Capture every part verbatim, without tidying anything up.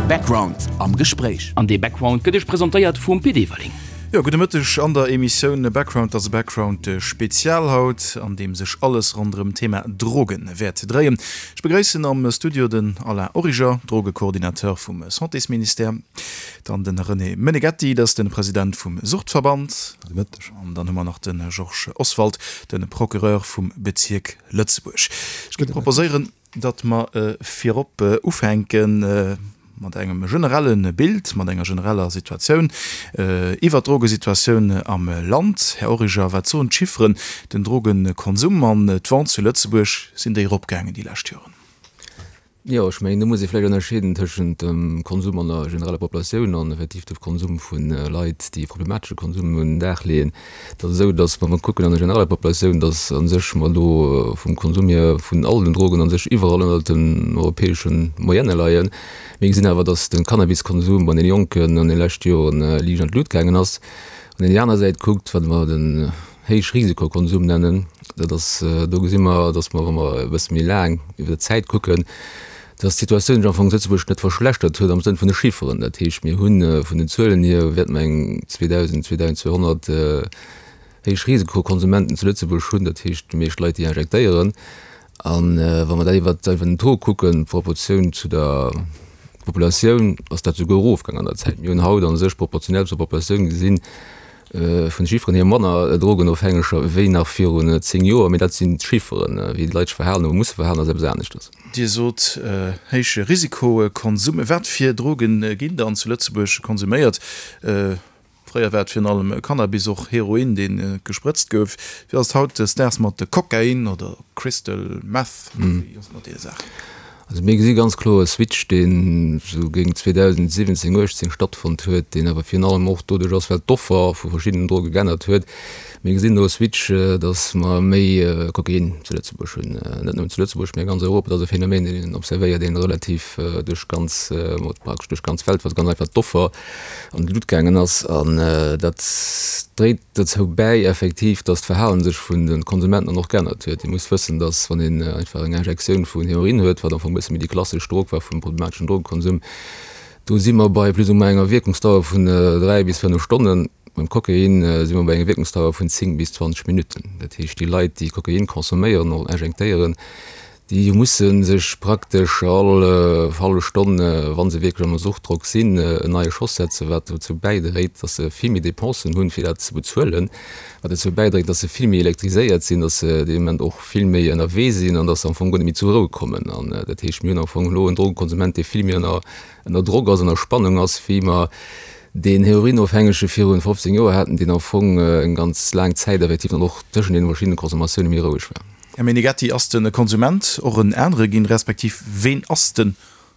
Background am Gespréich. An dee Background gëtt iech presentéiert vum Pit Everling. Jo, gudde Mëtteg an der Emissioun Background. Dat ass e Background Spezial haut, an deem sech alles ronderëm d'Thema Drogen wäert dréien. Ech begréissen am Studio den Alain Origer, Drogecoordinateur vum Santésministère, dann den René Meneghetti, dat ass de President vum Suchtverband. Gudde Mëtteg. An dann hu mer nach de Georges Oswald, de Procureur vum Bezierk Lëtzebuerg. Ech géif proposéieren, datt mer virop ufänke mat engem generelle Bild, mat enger genereller Situatioun iwwert d'Drogesituatioun am Land. Här Origer, wat soen d'Chifferen? Den Drogekonsum an d'Vente zu Lëtzebuerg, sinn déi eropgaangen déi lescht Joren? Jo, ech mengen, do muss ee vläicht ënnerscheeden tëschent dem Konsum an der genereller Populatioun an effektiv dem Konsum vu Leit, déi e problematesche Konsum un den Dag leeën. Et ass esou, datt, wa mer kucken an der genereller Populatioun, datt a sech mer do vum Konsum hier vun all den Drogen a sech iwwerall ënnert den europäesche Moyenne leien. Mir gesinn awer, datt de Cannabiskonsum bei den Jonken an de leschte Joren liicht an d'Lut gaangen ass. Wann een déi aner Säit kuckt, wat mer den Héichrisikokonsum nennen, dat ass, do gesi mer, datt mer, wa mer e bësse méi laang iwwer d'Zäit kucken, dass d'Situatioun sech am Fong zu Lëtzebuerg net verschlechtert huet am Sënn vun de Chifferen. Dat heescht, mir hu vun den Zuelen hier, wäerte mer eng zweedausend, zweedausendzweehonnert Héichrisikokonsumenten zu Lëtzebuerg hunn, dat heescht déi meescht Leit, déi injektéieren. A wa mer dat iwwer den Taux kucken, d'Proportioun zu der Populatioun, ass dat souguer erofgaangen an der Zäit. Mir hunn haut a sech proportionell zur Populatioun gesinn, vun de Chifferen hier manner Drogenofhängeger wéi nach virun zéng Joer, mee dat sinn d'Chifferen. Wéi d'Leit sech verhalen oder musse verhalen, ass eppes aneschters. Dir sot héije Risikokonsum. Wat fir Droge ginn dann zu Lëtzebuerg konsuméiert? Fréier war et virun allem Cannabis, och Heroin, dee gesprëtzt gouf. Wéi ass et hautdesdaags mat Kokain oder Crystal Meth? Wéi ass et mat deene Saachen? Also mir gesi ganz kloer e Switch, deen esou géint zweedausendsiwwenzéng, uechtzéng stattfonnt huet, deen awer virun allem och doduerch ass, well d'Offer vu verschiddenen Droge geännert huet. Mir gesinn do e Switch, datt mer méi Kokain zu Lëtzebuerg hunn, net nëmmen zu Lëtzebuerg, mä a ganz Europa. Dat ass e Phänomen, deen een observéiert, deen relativ duerch ganz, praktesch duerch d'ganz Welt, well ganz einfach d'Offer an d'Lut gaangen ass. An dat dréit dozou bäi effektiv, dass d'Verhalen sech vun de Konsumenten dann och geännert huet. Dir musst wëssen, dass wann een einfach eng Injektioun vun Heroin huet, wat am Fong e bësse méi déi klassesch Drog war vum problemateschen Drogekonsum, do si mer bei plus ou moins enger Wierkungsdauer vun dräi bis fënnef Stonnen. Beim Kokain si mer bei enger Wierkungsdauer vun zéng bis zwanzeg Minutten. Dat heescht, déi Leit, déi Kokain consomméieren oder injektéieren, Déi musse sech praktesch all hallef Stonn, wa se wierklech ënner Suchtdrock sinn, en neie Schoss setzen, wat dozou bäidréit, datt se vill méi Dépensen hunn, fir dat ze bezuelen, wat dozou bäidréit, datt se vill méi elektriséiert sinn, datt se dee Moment och vill méi ënnerwee sinn an datt se am Fong guer net méi zur Rou kommen. An dat heescht, mir hunn am Fong elo en Drogekonsument, dee vill méi ënner ënner Drock ass, ënner Spannung ass, wéi mer deen Heroinofhängege virun fofzéng Joer haten, deen am Fong eng ganz laang Zäit effektiv dann och tëschent deene verschiddene Consommatioune méi roueg war. Här Meneghetti, ass de Konsument och en anere ginn, respektiv ween ass de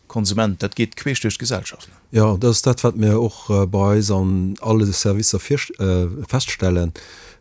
Konsument? Dat geet queesch duerch d'Gesellschaft. Jo, dat ass dat, wat mir och bei eis an alle Servicer feststellen.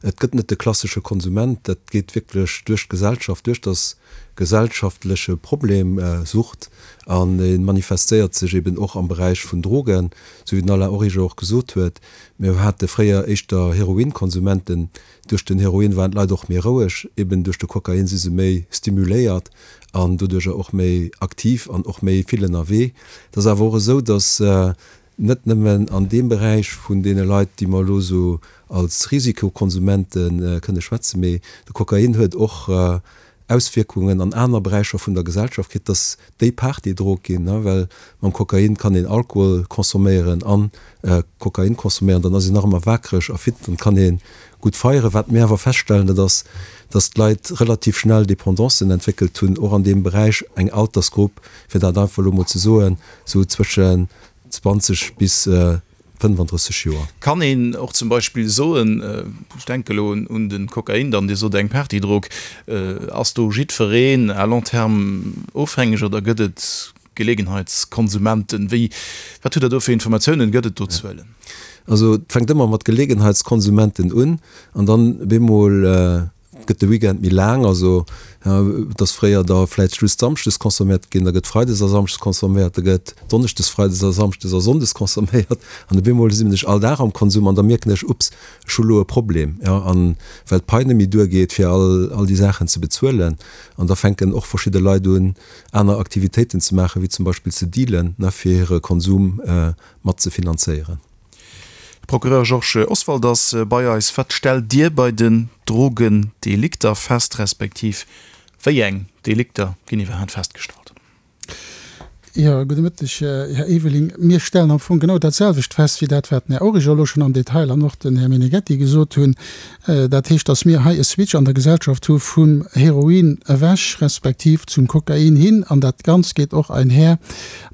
Et gëtt net de klassesche Konsument, dat geet wierklech duerch d'Gesellschaft duerch, dat gesellschaftleche Problem Sucht an e manifestéiert sech eben och am Beräich vun Drogen, esou wéi den Alain Origer och gesot huet. Mir hate fréier éischter Heroinkonsumenten. Duerch den Heroin waren d'Leit och méi roueg, eben duerch de Kokain si se méi stimuléiert an doduercher och méi aktiv an och méi vill ënnerwee. Et ass awer och esou, datt net nëmmen an deem Beräich vun deene Leit, déi mer elo esou als Risikokonsumente kënne schwätzen, mee de Kokain huet och Auswierkungen an aner Beräicher vun der Gesellschaft kritt, dass déi Partydrog ginn, well mam Kokain kann een Alkohol consomméieren an Kokain consomméieren, dann ass een nach ëmmer wakereg a fit, dann kann ee gutt feieren. Wat mir awer feststellen, dat ass, dass d'Leit relativ schnell Dependancen entwéckelt hunn, och an deem Beräich, eng Altersgrupp, fir dat einfach elo mol ze soen, sou zwëschen zwanzeg bis fënnefandrësseg Joer. Kann een och zum Beispill soen, ech denke elo un de Kokain dann, Dir sot eng Partydrog, ass do jiddwereen à long terme ofhängeg oder gëtt et Gelegenheitskonsumenten? Wéi, wat hutt Der do fir Informatiounen? Gëtt et do Zuelen? Also et fänkt ëmmer mat Gelegenheitskonsumenten un an dann bemol gëtt de Weekend méi laang, also et ass fréier da vläicht just samschdes consomméiert ginn, da gëtt freides a samschdes consomméiert, da gëtt donneschdes, freides a samschdes a sonndes consomméiert an op eemol sinn ech all Dag am Konsum an da mierken ech, ups, ech hu lo e Problem, jo, an well d'Pai net méi duergeet fir all all déi Saachen ze bezuelen an da fänken och verschidde Leit un aner Aktivitéiten ze maachen, wéi zum Beispill ze dealen, ne, fir hire Konsum mat ze finanzéieren. De Procureur Georges Oswald ass bei eis. Wat stellt Dir bei den Drogendelikter fest, respektiv wéi eng Delikter ginn iwwerhaapt festgestallt? Jo, gudde Mëtteg, Här Eveling. Mir stellen am Fong genau dat selwecht fest wéi dat, wat den Här Origer elo schonn am Detail an och den Här Meneghetti gesot hunn. Dat heescht, dass mir hei e Switch an der Gesellschaft hu vum Heroin ewech respektiv zum Kokain hin. An dat Ganzt geet och einher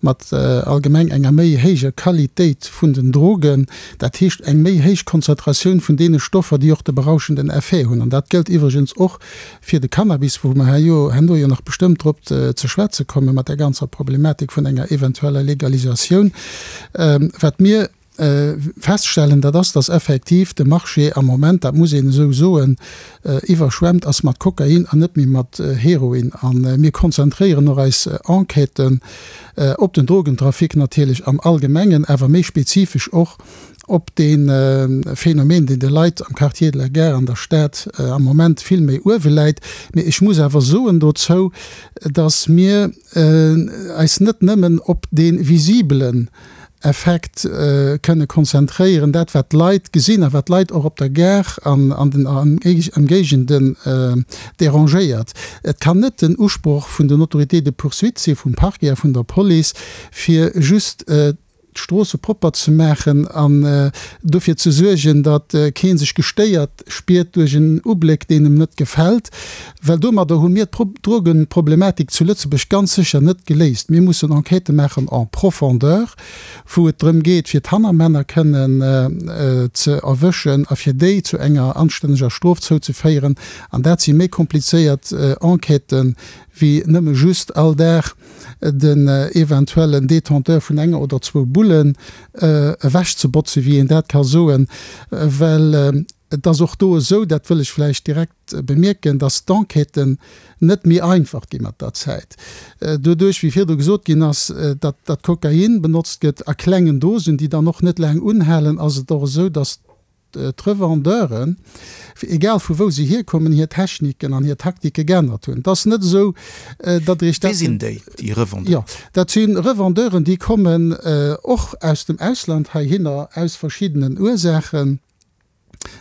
mat allgemeng enger méi héijer Qualitéit vun den Drogen, dat heescht eng méi héich Konzentratioun vun deene Stoffer, déi och de berauschenden Effet hunn. An dat gëllt iwwregens och fir de Cannabis, wou mer herjo herno jo nach bestëmmt drop ze schwätze komme mat där ganzer Problematik vun enger eventueller Legalisatioun. Wat mir feststellen, dat ass, dass effektiv de Marché am Moment, dat muss een esou soen, iwwerschwemmt ass mat Kokain an net méi mat Heroin. A mir konzentréieren och eis Enquêten op den Drogentrafic natierlech am Allgemengen, awer méi spezifesch och op dee Phänomen, deen de Leit am Quartier de la Gare an der Stad am Moment vill méi uewe läit. Mee ech muss awer soen dozou, dass mir eis net nëmmen op dee visibelen Effekt kënne konzentréieren, dat wat d'Leit gesinn a wat d'Leit och op der Gare an an den Ëmgéigenden dérangéiert. Et kann net den Usproch vun den Autorités de poursuite si vum Parquet a vun der Police, fir just d'Stroosse propper ze maachen an dofir ze suergen, datt kee sech gestéiert spiert duerch en Ubléck, deen em net gefält, well domadder hu mir d'Drogenproblematik zu Lëtzebuerg ganz sécher net geléist. Mir mussen Enquêtë maachen en profondeur, wou et drëm geet, fir d'Hannermänner kënnen ze erwëschen a fir déi zu enger anstänneger Strof zouzeféieren. An dat si méi komplizéiert Enquêten, wéi nëmme just all Dag den eventuellen Détenteur vun enger oder zwou Bullen ewechzebotzen, wéi een dat ka soen, well et ass och do esou, dat wëll ech vläicht direkt bemierken, dass d'Enquêten net méi einfach gi mat der Zäit. Doduerch, wéi virdu gesot ginn ass, datt dat Kokain benotzt gëtt a klengen Dosen, déi dann och net laang unhalen, ass et och esou, dass d'Revendeuren, egal vu wou se hierkommen, hir Techniken an hir Taktike geännert hunn. Et ass net esou, datt Der Iech dat. Wie sinn déi, déi Revendeuren? Jo, dat si Revendeuren, déi kommen och aus dem Ausland heihinner, aus verschiddenen Ursaachen,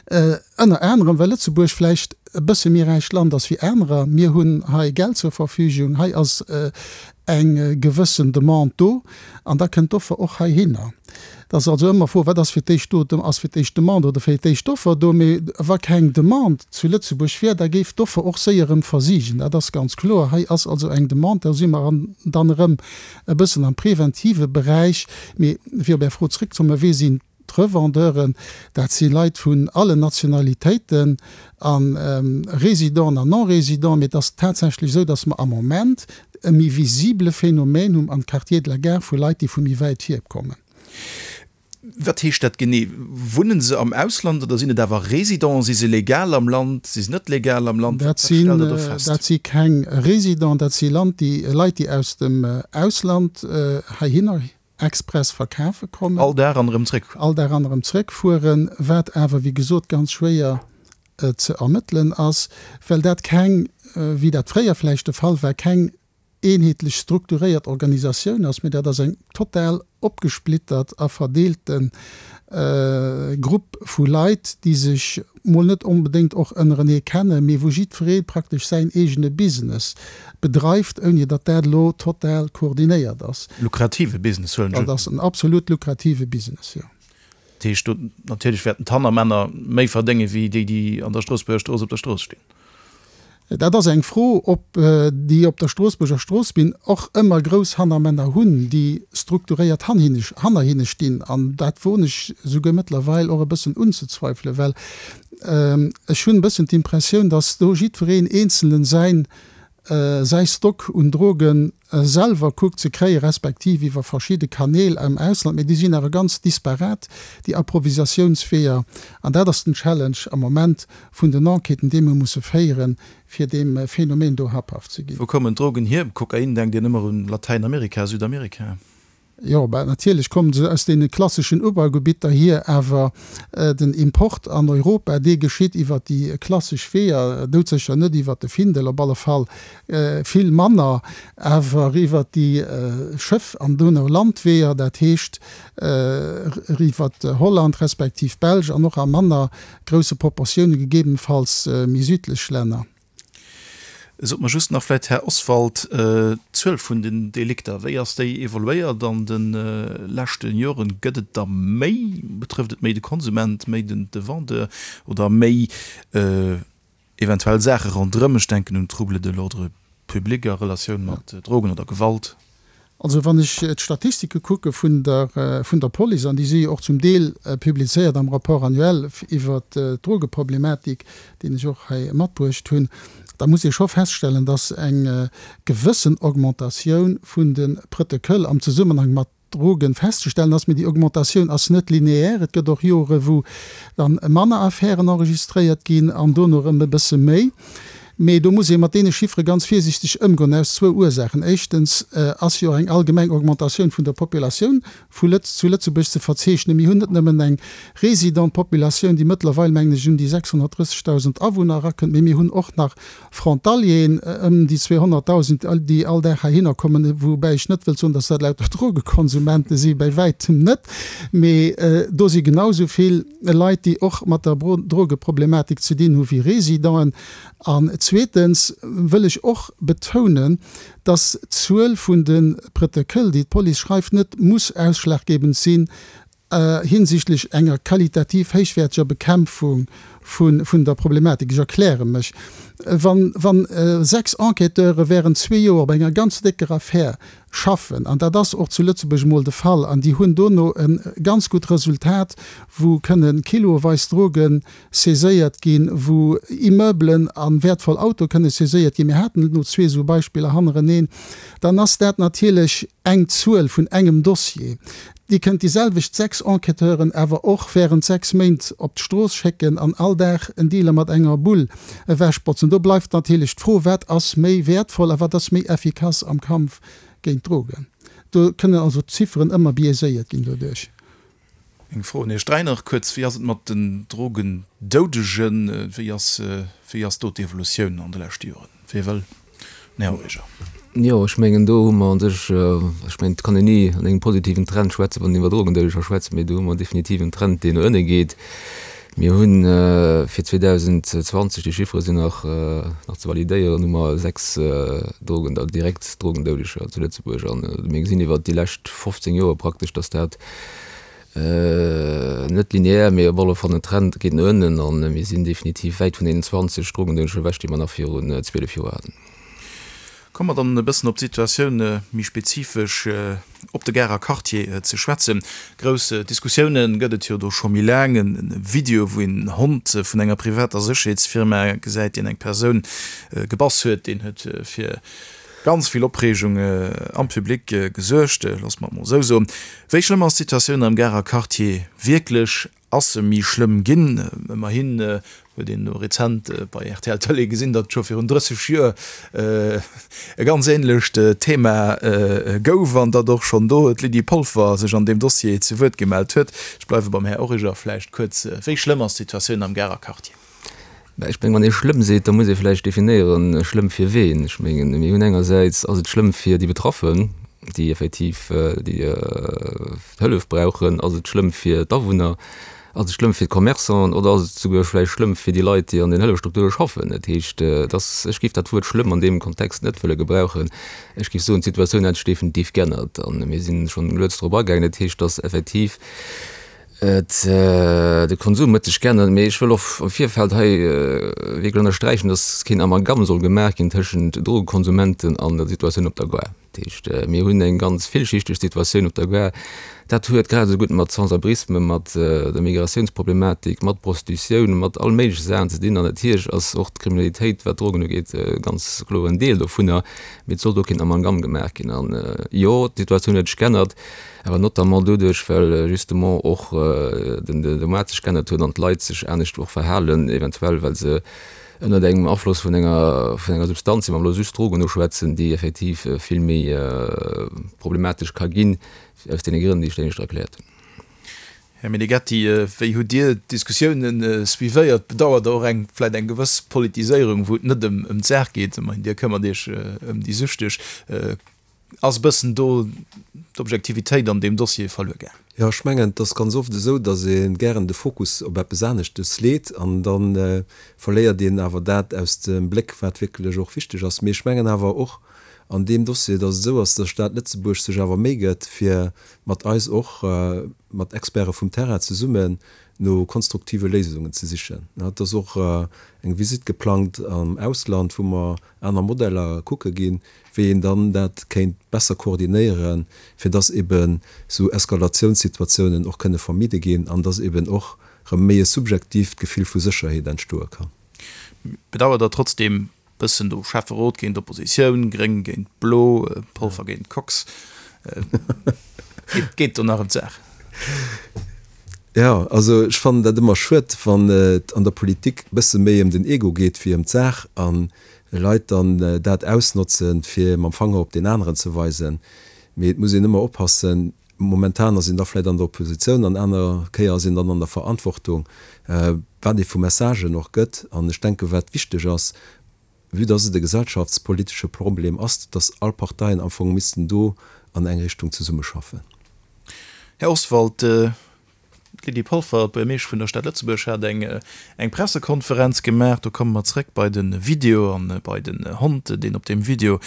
ënner anerem well Lëtzebuerg vläicht e bësse méi räicht Land ass wéi anerer. Mir hunn hei Geld zur Verfügung, hei ass eng gewëssen Demande do an da kënnt d'Offer och heihinner. Et ass also ëmmer d'Fro, wat ass fir d'éischt do, ass fir d'éischt d'Demande oder fir d'éischt d'Offer do? Mee wa keng Demande zu Lëtzebuerg wär, da géif d'Offer och séier erëm versigen. Dat ass ganz kloer. Hei ass also eng Demande, do si mer dann erëm e bëssen am preventive Beräich. Mee fir op Är Fro zrëckzekommen, Wie sinn D'Revendeuren, dat si Leit vun allen Nationalitéiten a Résidenten an Non-Résidenten, mee et ass tatsächlech esou, datt mer am Moment e méi visibele Phänomen hunn am Quartier de la Gare vu Leit, déi vu méi wäit hier kommen. Wat heescht dat genee? Wunnen se am Ausland oder sinn et awer Résidenten? Si se legal am Land? Si se net legal am Land? Dat Wat stellt Der do fest? Dat si keng Résidenten, dat si Leit, déi aus dem Ausland heihinner express verkafe kommen. All Dag an erëm zréck. All Dag an erëm zréck fueren, wat awer wéi gesot ganz schwéier ze ermëttelen ass, well dat keng, wéi dat fréier vläicht de Fall war, keng eenheetlech strukturéiert Organisatioun ass, mee dat ass eng total opgesplittert a verdeelte Grupp vu Leit, déi sech mol net onbedéngt och ënnerenee kennen, mee wou jiddweree praktesch säin eegene Business bedreift, ouni datt dat elo total koordinéiert ass. Lukrative Business, huelen ech un. Dat ass en absolut lukrative Business, jo. Dat heescht, do natierlech wäerten d'Hannermänner méi verdénge wéi déi, déi an der Stroossbuerger Strooss op der Strooss stinn. Dat ass eng Fro, ob déi op der Stroossbuerger Strooss bin och ëmmer grouss Hannermänner hunn, déi strukturéiert hanner hinne stinn. An dat woen ech souguer mëttlerweil och e bëssen unzezweifelen, well ech hunn e bëssen d'Impressioun, datt do jiddwereen Eenzelen säin säi Stock un Droge selwer kuckt ze kréien, respektiv iwwer verschidde Kanäl am Ausland, mee déi sinn awer ganz disparat, déi Approvisatiounsweeër. An dat ass den Challenge am Moment vun den Enquêten, déi mir musse féieren, fir deem Phänomen do habhaft ze ginn. Wou kommen d'Drogen hier? Kokain denkt een ëmmer un Latäinamerika, Südamerika. Jo, bah, natierlech kommen se aus deene klasseschen Ubaugebitter hier, awer den Import an Europa, dee geschitt iwwer déi klassesch Weeër, doudsécher net iwwer de Findel, op alle Fall vill manner, awer iwwer déi Schëff an dono Landweeër, dat heescht iwwer Holland respektiv d'Belsch an och a manner grousse Proportioune gegebenenfalls méi südlech Länner. Sot mer just nach vläicht, Här Oswald, d'Zuel vun den Delikter, wéi ass déi evoluéiert an de leschte Joren? Gëtt et der méi? Betrëfft et méi de Konsument, méi de Vendeur oder méi eventuell Saache ronderëm? Ech denken un Troubles de l'ordre public a Relatioun mat Drogen oder Gewalt. Also wann ech d'Statistike kucke vun der vun der Police, an déi si jo och zum Deel publizéiert am Rapport annuel iwwert d'Drogeproblematik, deen ech och hei matbruecht hunn, da muss ee scho feststellen, dass eng gewëssen Augmentatioun vun de Prëttekëll am Zesummenhang mat Drogen festzestellen ass. Mee déi Augmentatioun ass net lineaire. Et gëtt och Jore wou dann manner Affären enregistréiert ginn an dono erëm e bësse méi. Mee do muss ee mat deene Chiffere ganz virsiichteg ëmgoen, aus zwou Ursaachen. Éischtens ass jo eng allgemeng Augmentatioun vun der Populatioun vu Lëtz zu Lëtzebuerg ze verzeechnen. Mir hunn net nëmmen eng résident Populatioun, déi mëttlerweil, mengen ech, un déi sechshonnertdrëssegdausend Awunner erakënnt, mee mir hunn och nach Frontalieren, ëm déi zweehonnertdausend, déi all Dag heihinner kommen, woubäi ech net wëllt soen, dass dat lauter Drogekonsumente sinn, bäi wäitem net, mee do si genau esou vill Leit, déi och mat der Drogeproblematik ze dinn hu wéi Résidenten. An zweetens wëll ech och betounen, dass d'Zuel vun de Prëttekëll, déi d'Police schreift, net muss ausschlaggebend sinn hinsichtlech enger qualitativ héichwäerteger Bekämpfung vun der Problematik. Ech erkläre mech, Wa sechs Enquêteure während zwee Joer op enger ganz décker Affär schaffen, an dat ass och zu Lëtzebuerg emol de Fall, an déi hunn dono e ganz gutt Resultat, wou kënne kiloweis Droge saiséiert ginn, wou Immeublen a wäertvoll Autoe kënne saiséiert ginn, mir haten elo zwee esou Beispiller hannereneen, dann ass dat natierlech eng Zuel vun engem Dossier. Dir kënnt déi selwecht sechs Enquêteuren awer och während sechs Méint op d'Strooss schécken an all Dag en Dealer mat enger Bull ewechbotzen. Do bleift natierlech d'Fro, Wat ass méi wäertvoll a wat ass méi effikass am Kampf géint d'Drogen? Do kënnen also d'Zifferen ëmmer biaiséiert ginn doduerch. Eng Fro un Iech dräi nach kuerz, Wéi ass et mat den Drogendoudegen? Wéi ass, wéi ass do d'Evolutioun an de leschte Joren? Wie wëll? Den Här Origer. Jo, ech mengen, do hu mer u sech, ech mengen, et kann een ni an engem positiven Trend schwätzen, wann een iwwer Drogendoudeger schwätzt, mee do hu mer definitiv en Trend, deen no ënne geet. Mir hu fir zweedausendzwanzeg, déi Chiffere sinn nach nach ze validéieren, hu mer sechs Drogen, direkt Drogendoudeger zu Lëtzebuerg. An mir gesinn iwwert déi lescht fofzéng Joer praktesch, datt dat net lineär, mee op alle Fall den Trend geet no ënnen. A mir sinn definitiv wäit vun deenen zwanzeg Drogendoudeger ewech, déi mer nach virun zwielef Joer haten. Komme mer dann e bëssen op d'Situatioun méi spezifesch op de Garer Quartier ze schwätzen. Grouss Diskussioune gëtt et jo do scho méi laang. E Video, wou een Hond vun enger privater Sécherheetsfirma gesäit, deen eng Persoun gebass huet, deen huet fir ganz vill Opreegung am Public gesuergt, loosse mer et mol esou soen. Wéi schlëmm ass d'Situatioun am Garer Quartier wierklech? Ass se méi schlëmm ginn? Ëmmerhin huet een elo rezent bei rtl Tëlee gesinn, datt et scho virun drësseg Joer e ganz änlecht Thema gouf an datt och schonn do d'Lydie Polfer sech an deem Dossier zu Wuert gemellt huet. Ech bleiwe beim Här Origer vläicht kuerz. Wéi schlëmm ass d'Situatioun am Garer Quartier? Ech mengen, wann ee schlëmm seet, da muss ee vläicht definéieren, schlëmm fir ween. Ech mengen, mir hunn engersäits ass et schlëmm fir déi Betraffen, déi effektiv déi Hëllef brauchen. Ass et schlëmm fir d'Awunner? Ass et schlëmm fir d'Commerçanten oder ass et souguer vläicht schlëmm fir déi Leit, déi an den Hëllefstrukture schaffen? Dat heescht, et ass, ech géif dat Wuert schlëmm an deem Kontext net wëlle gebrauchen. Ech géif soen, d'Situatioun hätt sech definitiv geännert a mir sinn schonn lues drop agaangen. Dat heescht, dass effektiv et, de Konsum huet sech geännert. Mee ech wëll och am Virfeld hei wierklech ënnersträichen, dass keen Amalgam soll gemaach ginn tëschent Drogekonsumenten an der Situatioun op der Gare. Dat heescht, mir hunn eng ganz villschichteg Situatioun op der Gare. Dat huet grad esou gutt mat Sans-abrisme, mat der Migratiounsproblematik, mat Prostitutioun, mat all méigleche Saachen ze dinn. An natierlech ass och d'Kriminalitéit, wat d'Drogen ugeet, e ganz kloren Deel dovunner. Mee et soll do keen Amalgam gemaach ginn. An jo, d'Situatioun huet sech geännert, awer notamment doduerch, well justement och den de Moart sech geännert huet an d'Leit sech anescht och verhalen, eventuell well se ënnert engem Afloss vun enger vun enger Substanz sinn, wa mer elo just Drogen uschwätzen, déi effektiv vill méi problematesch ka ginn, aus deene Grënn, déi ech éinescht erkläert hunn. Här Meneghetti, wéi hutt Dir d'Diskussiounen suivéiert? Bedauert Der och eng vläicht eng gewëss Politiséierung, wou et net ëm d'Saach geet? Ech Dir këmmert Iech ëm déi Süchteg. Ass e bëssen do d'Objektivitéit an deem Dossier verluer gaang? Jo, ech mengen, et ass ganz oft esou, datt ee gären de Fokus op eppes aneschtes leet an da verléiert een awer dat aus dem Bléck, wat wierklech och wichteg ass. Mee ech mengen awer och an deem Dossier, datt et esou ass, datt d'Stad Lëtzebuerg sech awer Méi gëtt, fir mat eis och, mat Experte vum Terrain zesummen, no konstruktive Léisungen ze sichen. Et ass och eng Visitt geplangt am Ausland, wou mer aner Modeller kucke ginn, wéi een dann dat kéint besser koordinéieren, fir dass eben esou Eskalatiounssituatiounen och kënne vermidde ginn an dass eben och erëm méi e subjektiivt Gefill vu Sécherheet entstoe kann. Bedauert Der trotzdeem bëssen do Schäfferot géint Oppositioun, Gréng géint Blo, Polfer géint Kox? Et geet do nach ëm d'Saach. Jo, also ech fannen dat ëmmer schued, wann et an der Politik e bësse méi ëm den Ego geet wéi ëm d'Saach an Leit dann dat ausnotzen, fir mam Fanger op deen aneren ze weisen. Mee et muss een ëmmer oppassen, momentan ass een da vläicht an der Oppositioun an aner Kéier ass een dann an der Verantwortung, wat ee vu Messagen och gëtt. An ech denken, wat wichteg ass, vue dass et e gesellschaftspolitesche Problem ass, dass all Parteien am Fong missten do an eng Richtung zesummeschaffen. Här Oswald, d'Lydie Polfer, d'Buergermeesch vun der Stad Lëtzebuerg, hat eng Pressekonferenz gemaach. Do komme mer zréck bei de Video a bei den Hond, deen op deem Video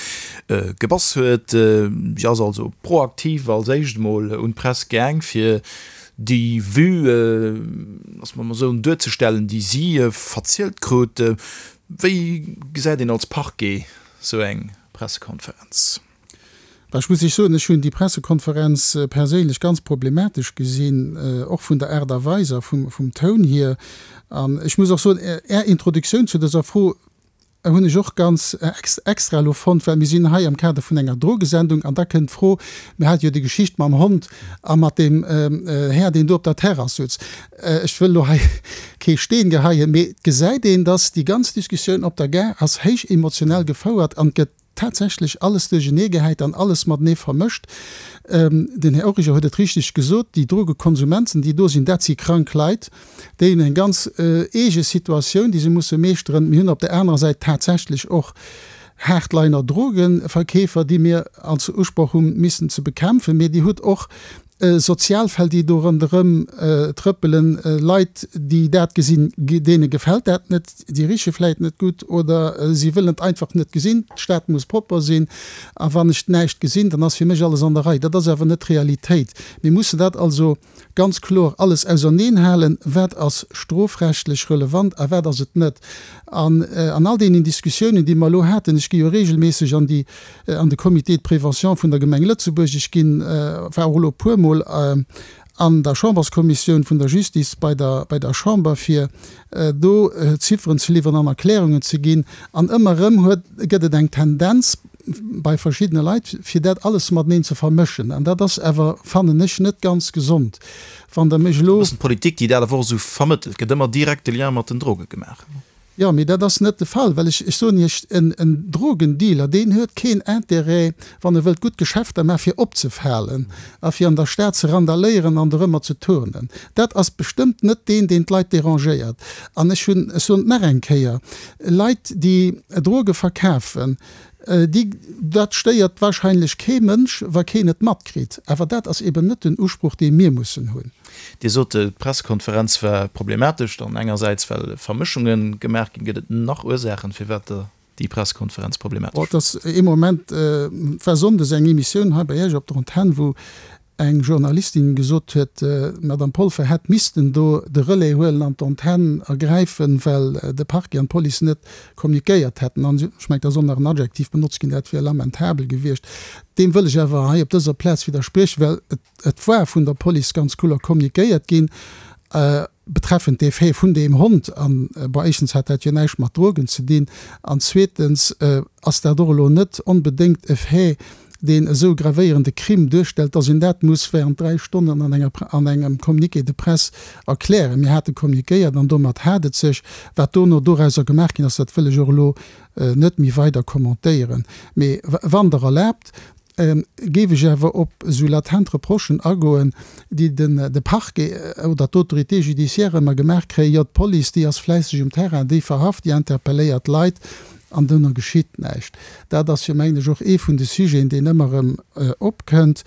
gebass huet. Si ass also proaktiv als éischt emol un d'Press gaang, fir déi Vue, loosse mer emol soen, duerzestellen, déi si verzielt krut. Wéi gesäit een als Parquet sou eng Pressekonferenz? Bah, ech muss Iech soen, ech hunn déi Pressekonferenz perséinlech ganz problematesch gesinn, och vun der Aart a Weis a vum Toun hier. An ech muss och soen, Är Introduktioun zu dëser Fro hunn ech och ganz extra elo fonnt, well mir sinn hei am Kader vun enger Drogesendung an da kënnt d'Fro, mir hate jo déi Geschicht mam Hond a mat deem Här, deen do op der Terrass sutz. Ech wëll elo hei kee Steen geheien, mee et gesäit een, dass déi ganz Diskussioun op der Gare ass héich emotionell gefouert an et gëtt tatsächlech alles duerchenee gehäit an alles matenee vermëscht. Den Här Origer huet et richteg gesot, déi Drogekonsumenten, déi do sinn, dat si krank Leit, déi hunn eng ganz eege Situatioun, déi se musse meeschteren. Mir hunn op där anerer Säit tatsächlech och Hardliner Drogenverkeefer, déi mir als Usproch hu missen ze bekämpfen, mee Dir hutt och sozial Fäll, déi do ronderëm trëppelen, Leit, déi dat gesinn, deene gefält dat net, déi riche vläit net gutt oder si wëllen et einfach net gesinn. D'Stad muss propper sinn a wann ech näischt gesinn, dann ass fir mech alles an der Rei. Dat ass awer net d'Realitéit. Mir mussen dat also ganz kloer alles auserneen halen, wat ass strofrechtlech relevant a wat ass et net. An an all deenen Diskussiounen, déi mer elo haten, ech gi jo regelméisseg an déi, an de Comité de prévention vun der Gemeng Lëtzebuerg, ech ginn, war och elo e puermol an der Chamberskommissioun vun der Justice bei der, bei der Chamber, fir do Zifferen ze liwweren an Erklärungen ze ginn. An ëmmer erëm huet, gëtt et eng Tendenz bei verschiddene Leit, fir dat alles mateneen ze vermëschen. An dat ass awer, fannen ech, net ganz gesond. Wann Der mech elo. E bëssen d'Politik, déi dat awer och esou vermëttelt, gëtt ëmmer direkt de Lien mat den Droge gemaach. Jo, mee dat ass net de Fall, well ech, ech soen Iech, en, en Drogendealer, deen huet keen Intérêt, wann e wëllt gutt Geschäfter maachen, fir opzefalen a fir an der Stad ze randaléieren an dorëmmer ze turnen. Dat ass bestëmmt net deen, deen d'Leit dérangéiert. An ech hunn, ech soen et nach eng Kéier, Leit, déi Droge verkafen, déi, dat stéiert wahrscheinlech kee Mënsch, wa keen et matkritt. Awer dat ass eben net den Usproch, dee mir mussen hunn. Dir sot, d'Pressekonferenz war problematesch, dann engersäits well Vermëschunge gemaach ginn. Gëtt et nach Ursaachen, firwat der déi Pressekonferenz problematesch Et ass ee Moment, et war sonndes eng Emissioun hei bei Iech op der Antenn, wou eng Journalistin gesot huet, d'Madame Polfer hätt missten do de Relais huelen an d'Antenn ergräifen, well de Parquet an d'Police net kommuniquéiert hätten. An ech mengen, da soll nach en Adjektiv benotzt ginn, dat wier lamentabel gewiescht. Deem wëll ech awer hei op dëser Plaz widderspriechen, well et war vun der Police ganz kloer kommuniquéiert ginn betreffend dee Fait vun deem Hond. An, bon, éischtens hat dat jo näischt mat Drogen ze dinn an zweetens ass dat och elo net onbedéngt e Fait, deen esou gravéierende Crime duerstellt, dass een dat muss während dräi Stonnen an enger, an engem Communiqué de presse erklären. Mir hate communiquéiert an domat hat et sech. Wat dono dorauser gemaach ginn ass, dat wëll ech och elo net méi weider commentéieren. Mee wann Der erlaabt, géif ech awer op esou latent Reprochen agoen, déi den de Parquet oder d'Autorité judiciaire ëmmer gemaach kréien, Jo, d'Police, déi ass fläisseg um Terrain, déi verhaft, déi interpelléiert Leit. An dono geschitt näischt. Dat ass jo, mengen ech, och ee vun de Sujeten, deen ëmmer erëm opkënnt.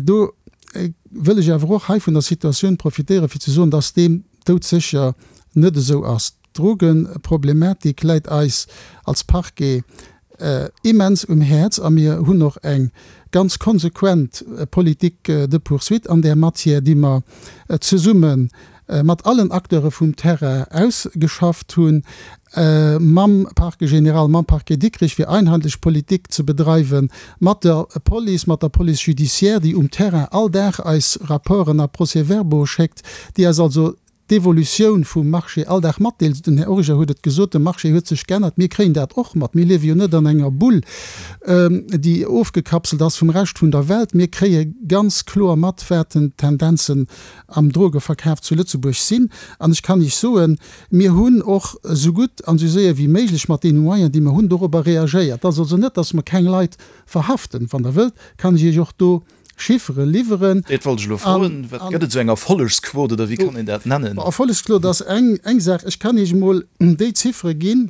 Do wëll ech awer och hei vun der Situatioun profitéieren, fir ze soen, dass deem doudsécher net esou ass. D'Drogeproblematik läit eis als Parquet immens um Häerz a mir hunn och eng ganz konsequent Politique de poursuite an där Matière, déi mer zesumme mat allen Acteure vum Terrain ausgeschafft hunn, mam Parquet général, mam Parquet Dikrich, fir einheitlich Politik ze bedreiwen, mat der Police, mat der Police judiciaire, déi um Terrain all Dag eis Rapporten a Procès-verbaux schéckt, déi eis also d'Evolutioun vum Marché all Dag matdeelt. Den Här Origer huet et gesot, de Marché huet sech geännert. Mir kréien dat och mat. Mir liewe jo net an enger Bull, déi ofgekapselt ass vum Rescht vun der Welt. Mir kréie ganz kloer mat, wat den d'Tendenzen am Drogeverkaf zu Lëtzebuerg sinn. An ech kann Iech soen, mir hunn och esou gutt an esou séier wéi méiglech mat deene Moyens, déi mer hunn, dorobber reagéiert. Et ass also net, dass mer keng Leit verhaften. Wann Der wëllt, kann ech Iech och do Chiffere liwweren. Dat wollt ech elo froen. Wat gëtt et esou eng Erfollegsquot oder wéi kann een dat nennen? Erfollegsquot ass eng eng Saach. Ech kann Iech emol déi Ziffere ginn,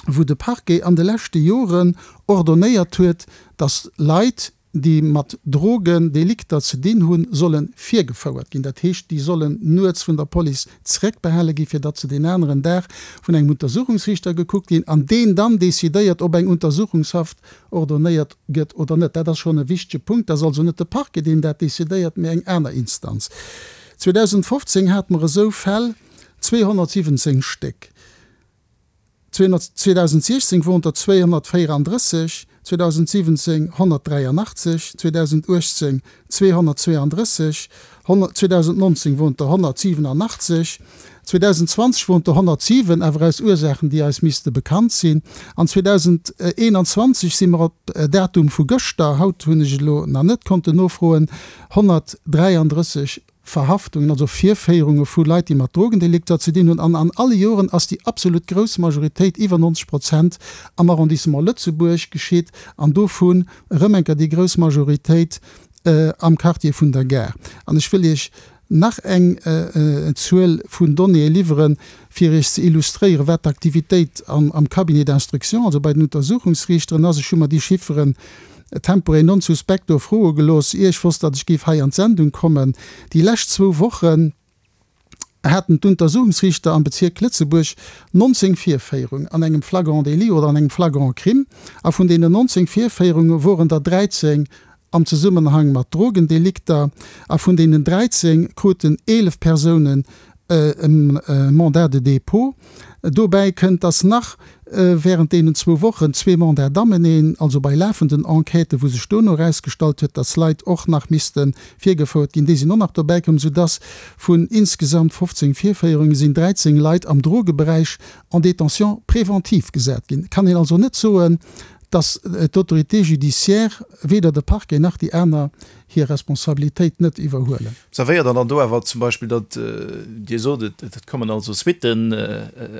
wou de Parquet an de leschte Joren ordonnéiert huet, dass Leit, déi mat Drogendelikter ze dinn hunn, solle virgefouert ginn. Dat heescht, déi sollen nuets vun der Police zréckbehale ginn, fir datt se deen aneren Dag vun engem Untersuchungsriichter gekuckt ginn an deen dann decidéiert, ob eng Untersuchungshaft ordonnéiert gëtt oder net. Dat ass schonn e wichtege Punkt. Dat ass also net de Parquet, deen dat decidéiert, mee eng aner Instanz. zweedausendfofzéng hate mer esou Fäll, zweehonnertsiwwenzéng Stéck. zweedausendsiechzéng woren der zweehonnertvéierandrësseg, zweedausendsiwwenzéng honnertdräianachtzeg, zweedausenduechtzéng zweehonnertzweeandrësseg, zweedausendnonzéng woren der honnertsiwenanachtzeg, zweedausendzwanzeg woren der honnertsiwen, awer aus Ursaachen, déi eis misste bekannt sinn, an zweedausendeenanzwanzeg si mer op Datum vu gëschter, haut hunn ech elo nach net konnten nofroen, honnertdräiandrësseg Verhaftungen, also Virféierunge vu Leit, déi mat Drogendelikter ze dinn hunn. An an alle Joren ass déi absolut grouss Majoritéit, iwwer neunzeg Prozent, am Arrondissement Lëtzebuerg geschitt an dovun erëm eng Kéier déi grouss Majoritéit am Quartier vun der Gare. An ech wëll Iech nach eng Zuel vun Donnéeë liwweren, fir Iech ze illustréieren, wat d'Aktivitéit am Cabinet d'instruction, also bei den Untersuchungsriichteren ass. Ech hu mer déi Chifferen tempore non suspecto froe gelooss, ier ech wosst, datt ech géif hei an d'Sendung kommen. Déi lescht zwou Wochen haten d'Untersuchungsriichter am Bezierk Lëtzebuerg nonzéng Virféierungen an engem Flagrant délit oder an engem Flagrant crime, a vun deenen nonzéng Virféierunge woren der dräizéng am Zesummenhang mat Drogendelikter, a vun deenen dräizéng kruten eelef Persounen e Mandat de dépôt. Dobäi kënnt, dass nach während deenen zwou Wochen zwee Mandats d'amener, also bei lafenden Enquêten, wou sech dono erausgestallt huet, dass Leit och nach misste virgefouert ginn, déi sinn och nach dobäikomm, soudass vun insgesamt fofzéng Virféierunge sinn dräizéng Leit am Drogeberäich en détention préventive gesat ginn. Et kann een also net soen, dass d'Autorité judiciaire, weder de Parquet nach déi aner, hir Responsabilitéit net iwwerhuelen. Observéiert Der dann do awer zum Beispill, datt, Dir sot et, et kommen also Suitten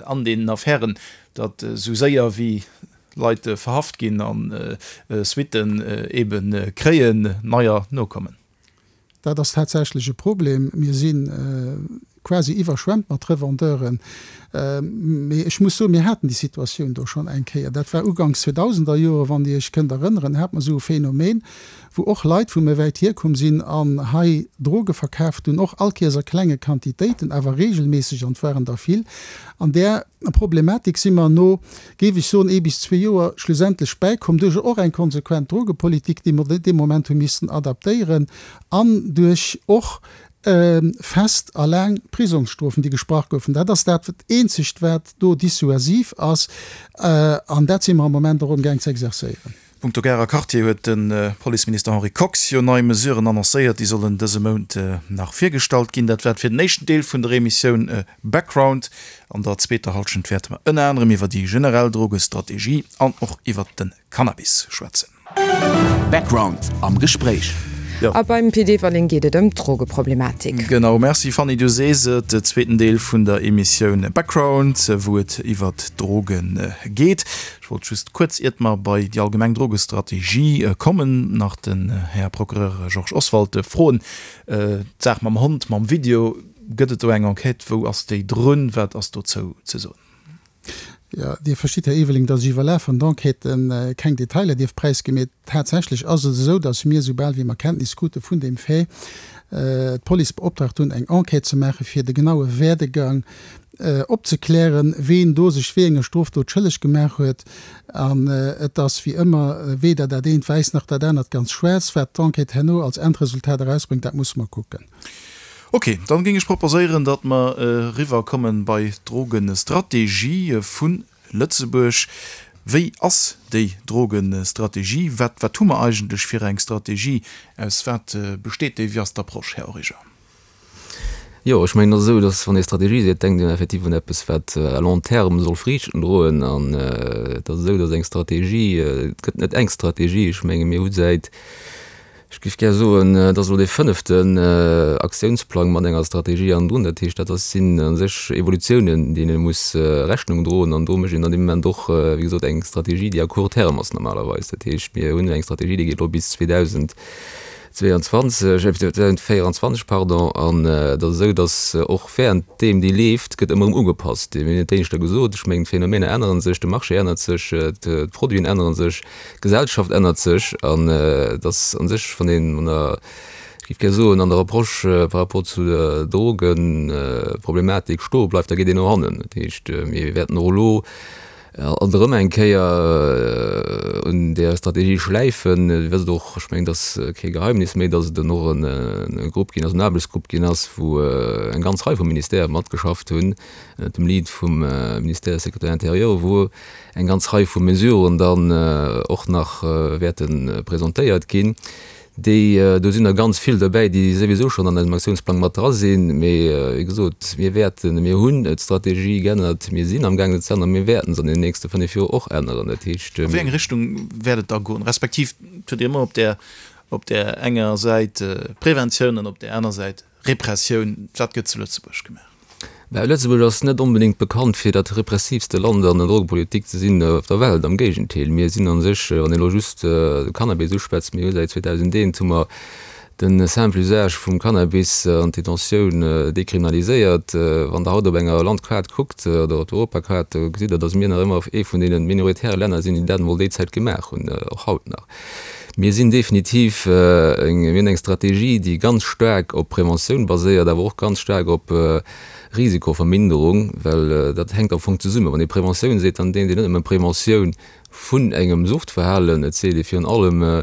an deenen Affären, datt esou séier wéi Leit verhaft ginn a Suitten ebe kréien, neier nokommen? Dat ass tatsächlech e Problem. Mir si quasi iwwerschwemmt mat Revendeuren. Mee ech muss soen, mir haten déi Situatioun do schonn eng Kéier. Dat war uganks zweedausenderjore, wann Dir Iech kënnt erënneren, hat mer esou e Phänomen, wou och Leit vu méi wäit hierkomm sinn an hei Droge verkaaft hunn, och all Kéiers a klenge Quantitéiten, awer regelméisseg, an et waren der vill. An där Problematik si mer no, géif ech soen, ee bis zwee Joer schlussendlech bäikomm, duerch och eng konsequent Drogepolitik, déi mer dee Moment hu missen adaptéieren, an duerch och fest a laang Prisongsstrofen, déi gesprach goufen. Dat ass dat Eenzegt, wat do dissuasiv ass, an dat si mer am Moment och amgaang ze exerzéieren. Punkto Garer Quartier huet de Policeminister Henri Kox jo nei Mesuren annoncéiert. Déi sollen dëse Mount nach virgestallt ginn. Dat war et fir den éischten Deel vun der Emissioun Background. An der zweeter Hallschent wäerte mer ënner anerem iwwer déi generell Drogestrategie an och iwwer de Cannabis schwätzen. Background am Gespréich. A beim Pit Everling geet et ëm d'Drogeproblematik. Genau, merci Fanny, du sees et, de zweeten Deel vun der Emissioun Background, wou et iwwert d'Droge geet. Ech wollt just kuerz, iert mer bei déi allgemeng Drogestrategie kommen, nach den Här Procureur Georges Oswald froen, d'Saach mam Hond, mam Video, gëtt et do eng Enquête, wou ass déi drun, wat ass dozou ze soen? Jo, Dir verstitt, Här Eveling, datt ech iwwer lafend Enquêtë keng Detailer dierf präisginn. Mee tatsächlech ass et esou, datt mir, soubal wéi mer Kenntnis krute vun deem Fait, d'Police beoptraagt hunn, eng Enquête ze maachen, fir de genaue Werdegang opzeklären, ween do sech wéi enger Strofdot schëlleg gemaach huet. An et ass wéi ëmmer, weder dat eent wäiss nach dat anert ganz schwaarz. Wat d'Enquête herno als Endresultat erausbréngt, dat musse mer kucken. Ok, dann géing ech proposéieren, datt mer eriwwer kommen bei d'Drogestrategie vu Lëtzebuerg. Wéi ass déi Drogestrategie? Wat, wat hu mer eigentlech fir eng Strategie? Aus wat besteet déi? Wéi ass d'Approche, Här Origer? Jo, ech mengen, et ass esou, datt wann ee Strategie seet, denkt een effektiv un eppes, wat à long terme soll Friichten droen. An et ass esou, datt eng Strategie, et gëtt net eng Strategie. Ech menge mir hu säit, ech géif gär soen, et ass elo dee fënneften Aktiounsplang mat enger Strategie hannendrun. Dat heescht, dat ass, sinn a sech Evolutiounen, deene ee muss Rechnung droen. An do mécht een dann dee Moment och, wéi gesot, eng Strategie, déi à court terme ass normalerweis. Dat heescht, mir hunn eng Strategie, déi geet elo bis zweedausendzweeanzwanzeg, zweedausendvéieranzwanzeg, pardon. An et ass esou, datt och währenddeem déi leeft, gëtt ëmmer erëm ugepasst. Mir hunn et éischter gesot, ech mengen, d'Phänomener ännere sech, de Marché ännert sech, d'Produiten ännere sech. D'Gesellschaft ännert sech an et ass a sech, wann een an der, ech géif gär soen, an der Approche par rapport zu der Drogenproblematik stoe bleift, da geet een no hannen. Dat heescht, mir wäerten och elo alt erëm eng Kéier un där Strategie schläifen. Dir wësst och, ech mengen, et ass kee Geheimnis méi, datt et och e Grupp ginn ass, en Aarbechtsgrupp ginn ass, wou eng ganz Rei vu Ministèrë matgeschafft hunn, ënnert dem Lead vum Ministère Sécurité intérieure, wou eng ganz Rei vu Mesuren dann och nach wäerte presentéiert ginn, déi, do sinn der ganz vill derbäi, déi souwisou schonn an eisem Aktiounsplang mat dra sinn. Mee wéi gesot, mir wäerten, mir hunn d'Strategie geännert, mir sinn amgaangen se ze änneren, mir wäerten se an den nächste fënnef Joer och änneren. Dat heescht. A wéi eng Richtung wäert et da goen? Respektiv, et huet Dir ëmmer op där, op där enger Säit Preventioun an op där aner Säit Repressioun. Wat gëtt zu Lëtzebuerg gemaach? Mä Lëtzebuerg ass net onbedéngt bekannt fir dat repressiivste Land an der Drogepolitik ze sinn op der Welt. Am Géigendeel, mir sinn a sech, wann een elo just de Cannabis uschwätzt, mir hu säit zweedausendeent hu mer de simple Usage vum Cannabis an d'Detentioun dekriminaliséiert. Wann Der haut op enger Landkaart kuckt oder op der Europakaart, da gesitt Der, datt mir nach ëmmer ee vun deene minoritäre Länner sinn, déi dat emol déi Zäit gemaach hunn, och haut nach. Mir sinn definitiv eng, mir hunn eng Strategie, déi ganz staark op Preventioun baséiert, awer och ganz staark op Risikoverminderung, well dat hänkt am Fong zesummen. Wann ee Preventioun seet, dann denkt een net nëmme Preventioun vun engem Suchtverhalen, et seet ee virun allem,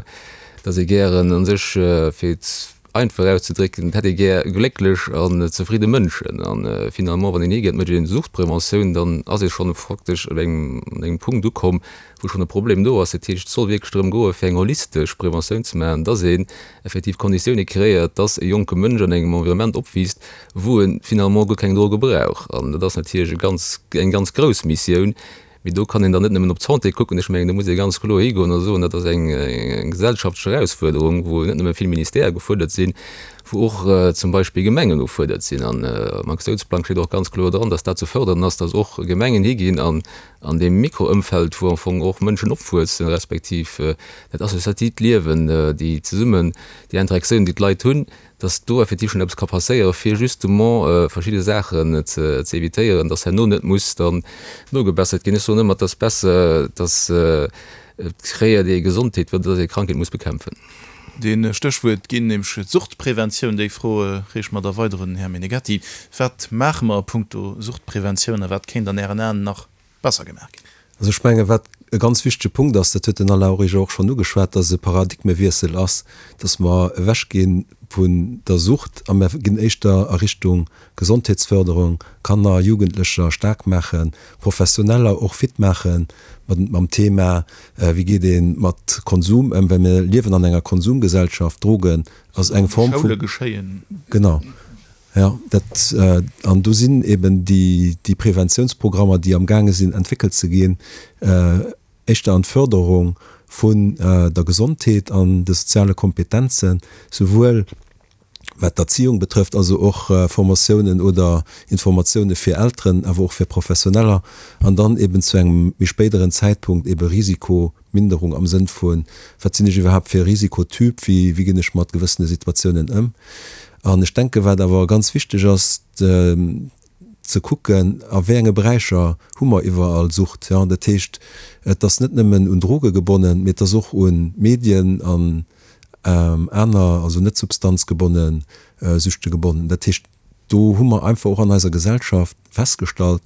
datt ee gären a sech, fir et einfach auszedrécken, et hätt ee gär glécklech an zefridde Mënschen. A finalement, wann een higeet, mécht een Suchtpreventioun, dann ass ee schonn faktesch op engem, un engem Punkt ukomm, wou schonn e Problem do ass. Dat heescht, et soll wierklech drëm goen, fir eng holistesch Preventioun ze maachen, dass een effektiv Konditioune kreéiert, dass e jonke Mënsch an engem Environnement opwiisst, wou e finalement guer keng Droge brauch. An dat ass natierlech e ganz, eng ganz grouss Missioun. Mee do kann een dann net nëmmen op d'Santé kucken. Ech mengen, do muss ee ganz kloer higoen a soen, dat ass eng gesellschaftlech Erausfuerderung, wou net nëmme vill Ministèrë gefuerdert sinn, wou och zum Beispill Gemengen ufuerdert sinn. An am Aktiounsplang steet och ganz kloer dran, dass dat ze fördern ass, dass och Gemengen higinn an an deem Mikroëmfeld, wou am Fong och Mënschen opwuessen, respektiv dat associatiivt Liewen, déi zesummen, déi Interaktioun, déi d'Leit hunn, dass do effektiv schonn eppes ka passéieren, fir justement verschidde Saachen ze ze évitéieren, dass herno net muss dann nogebessert ginn. Ech soen ëmmer, et ass besser, dass et kréiert ee Gesondheet, wéi dass ee Krankheet muss bekämpfen. Dee Stéchwuert ginn, nämlech d'Suchtpreventioun. Déi Fro reeche mer da weider un den Här Meneghetti. Wat maache mer a puncto Suchtpreventioun a wat kéint an Ären Aen nach besser gemaach ginn? Also ech menge wat e ganz wichtege Punkt ass, dat huet den Alain Origer och schonn ugeschwat, dass e Paradigmewiessel ass, dass mer ewechgi vun der Sucht a mer ginn éischter a Richtung Gesondheetsförderung, Kanner, Jugendlecher staark maachen, Professioneller och fit maache mam Thema, wéi geet ee mat Konsum ëm, well mir liewen an enger Konsumgesellschaft, Drogen ass eng Form vu. Schoule geschéien. Genau, jo, dat, an do sinn eben déi, déi Preventiounsprogrammer, déi amgaange sinn entwéckelt ze ginn, éischter an d'Förderung vun der Gesondheet an de soziale Kompetenzen, souwuel wat d'Erziehung betrëfft, also och Formatiounen oder Informatioune fir Elteren, awer och fir Professioneller, an dann eben zu engem méi spéideren Zäitpunkt ebe Risikominderung am Sënn vu, wat sinn ech iwwerhaapt fir e Risikotyp, wéi wéi ginn ech mat gewëssene Situatiounen ëm. An ech denken, wat awer ganz wichteg ass, ze kucken, a wéi enge Beräicher hu mer iwwerall Sucht. Jo, dat heescht, et ass net nëmmen un Droge gebonnen, mee et ass och u Medien an aner, also net substanzgebonne Süchte gebonnen. Dat heescht, do hu mer einfach och an eiser Gesellschaft festgestallt,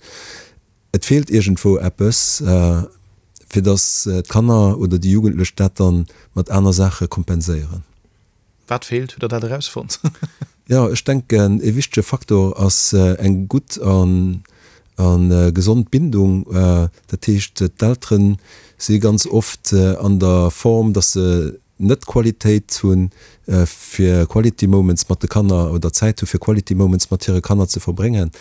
et feelt iergendwou eppes, fir datt d'Kanner oder déi Jugendlech dat da mat aner Saache kompenséieren. Wat feelt? Hutt Der dat erausfonnt? Jo, ech denken, ee wichtege Faktor ass eng gutt a gesond Bindung. Dat heescht, d'Eltere si ganz oft an der Form, datt se net d'Qualitéit hunn, fir Quality Moments mat de Kanner oder Zäit hu fir Quality Moments mat hire Kanner ze verbréngen.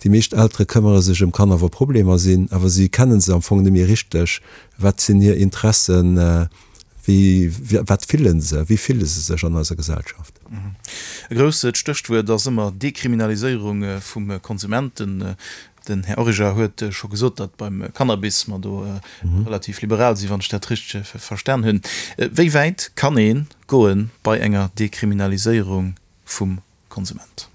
Déi meescht Eltere këmmere sech ëm Kanner, wa Problemer sinn, awer si kennen se am Fong net méi richteg. Wat sinn hir Interessen? Wéi, wat fillen se, wéi fille se sech an eiser Gesellschaft? E grousst Stéchwuert ass ëmmer Dekriminaliséierung vum Konsumenten. Den Här Origer huet scho gesot, datt beim Cannabis mer do relativ liberal sinn, wann ech dat richteg verstan hunn. Wéi wäit kann ee goe bei enger Dekriminaliséierung vum Konsument?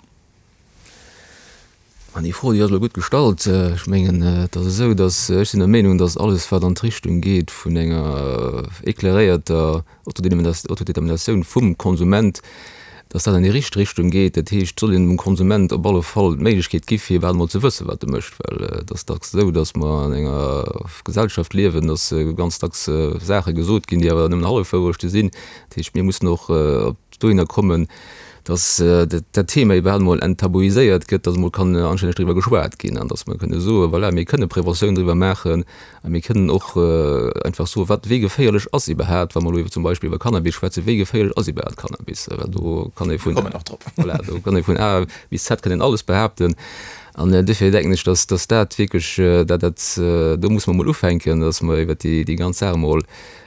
An déi Fro, déi ass elo gutt gestallt. Ech mengen, et ass esou, datt, ech sinn der Meenung, datt alles, wat an d'Richtung geet vun enger éclairéierter Autodeterminatioun vum Konsument, datt dat an déi richteg Richtung geet. Dat heescht, et soll een dem Konsument op alle Fall d'Méiglechkeet gi fir iwwerhaapt emol ze wëssen, wat e mécht. Well et ass dacks esou, datt mer an enger Gesellschaft liewen, datt ganz dacks Saache gesot ginn, déi awer nëmmen Hallefwourechte sinn. Dat heescht, mir mussen och op dohinner kommen, dass dat Thema iwwerhaapt emol enttabuiséiert gëtt, dass emol kann anstänneg driwwer geschwat ginn an dass mer kënne soen, voilà, mir kënne Preventioun driwwer maachen a mir kënnen och einfach soen, wat, wéi geféierlech ass iwwerhaapt, wa mer elo iwwer zum Beispill iwwer Cannabis schwätzen, wéi geféierlech ass iwwerhaapt Cannabis? Well do kann ee vun, voilà, do kann ee vun A bis Z kann een alles behaapten. An duerfir denken ech, dass, dass dat wierklech, dat, dat, do muss mer emol ufänken, dass mer iwwert déi, déi ganz Saach emol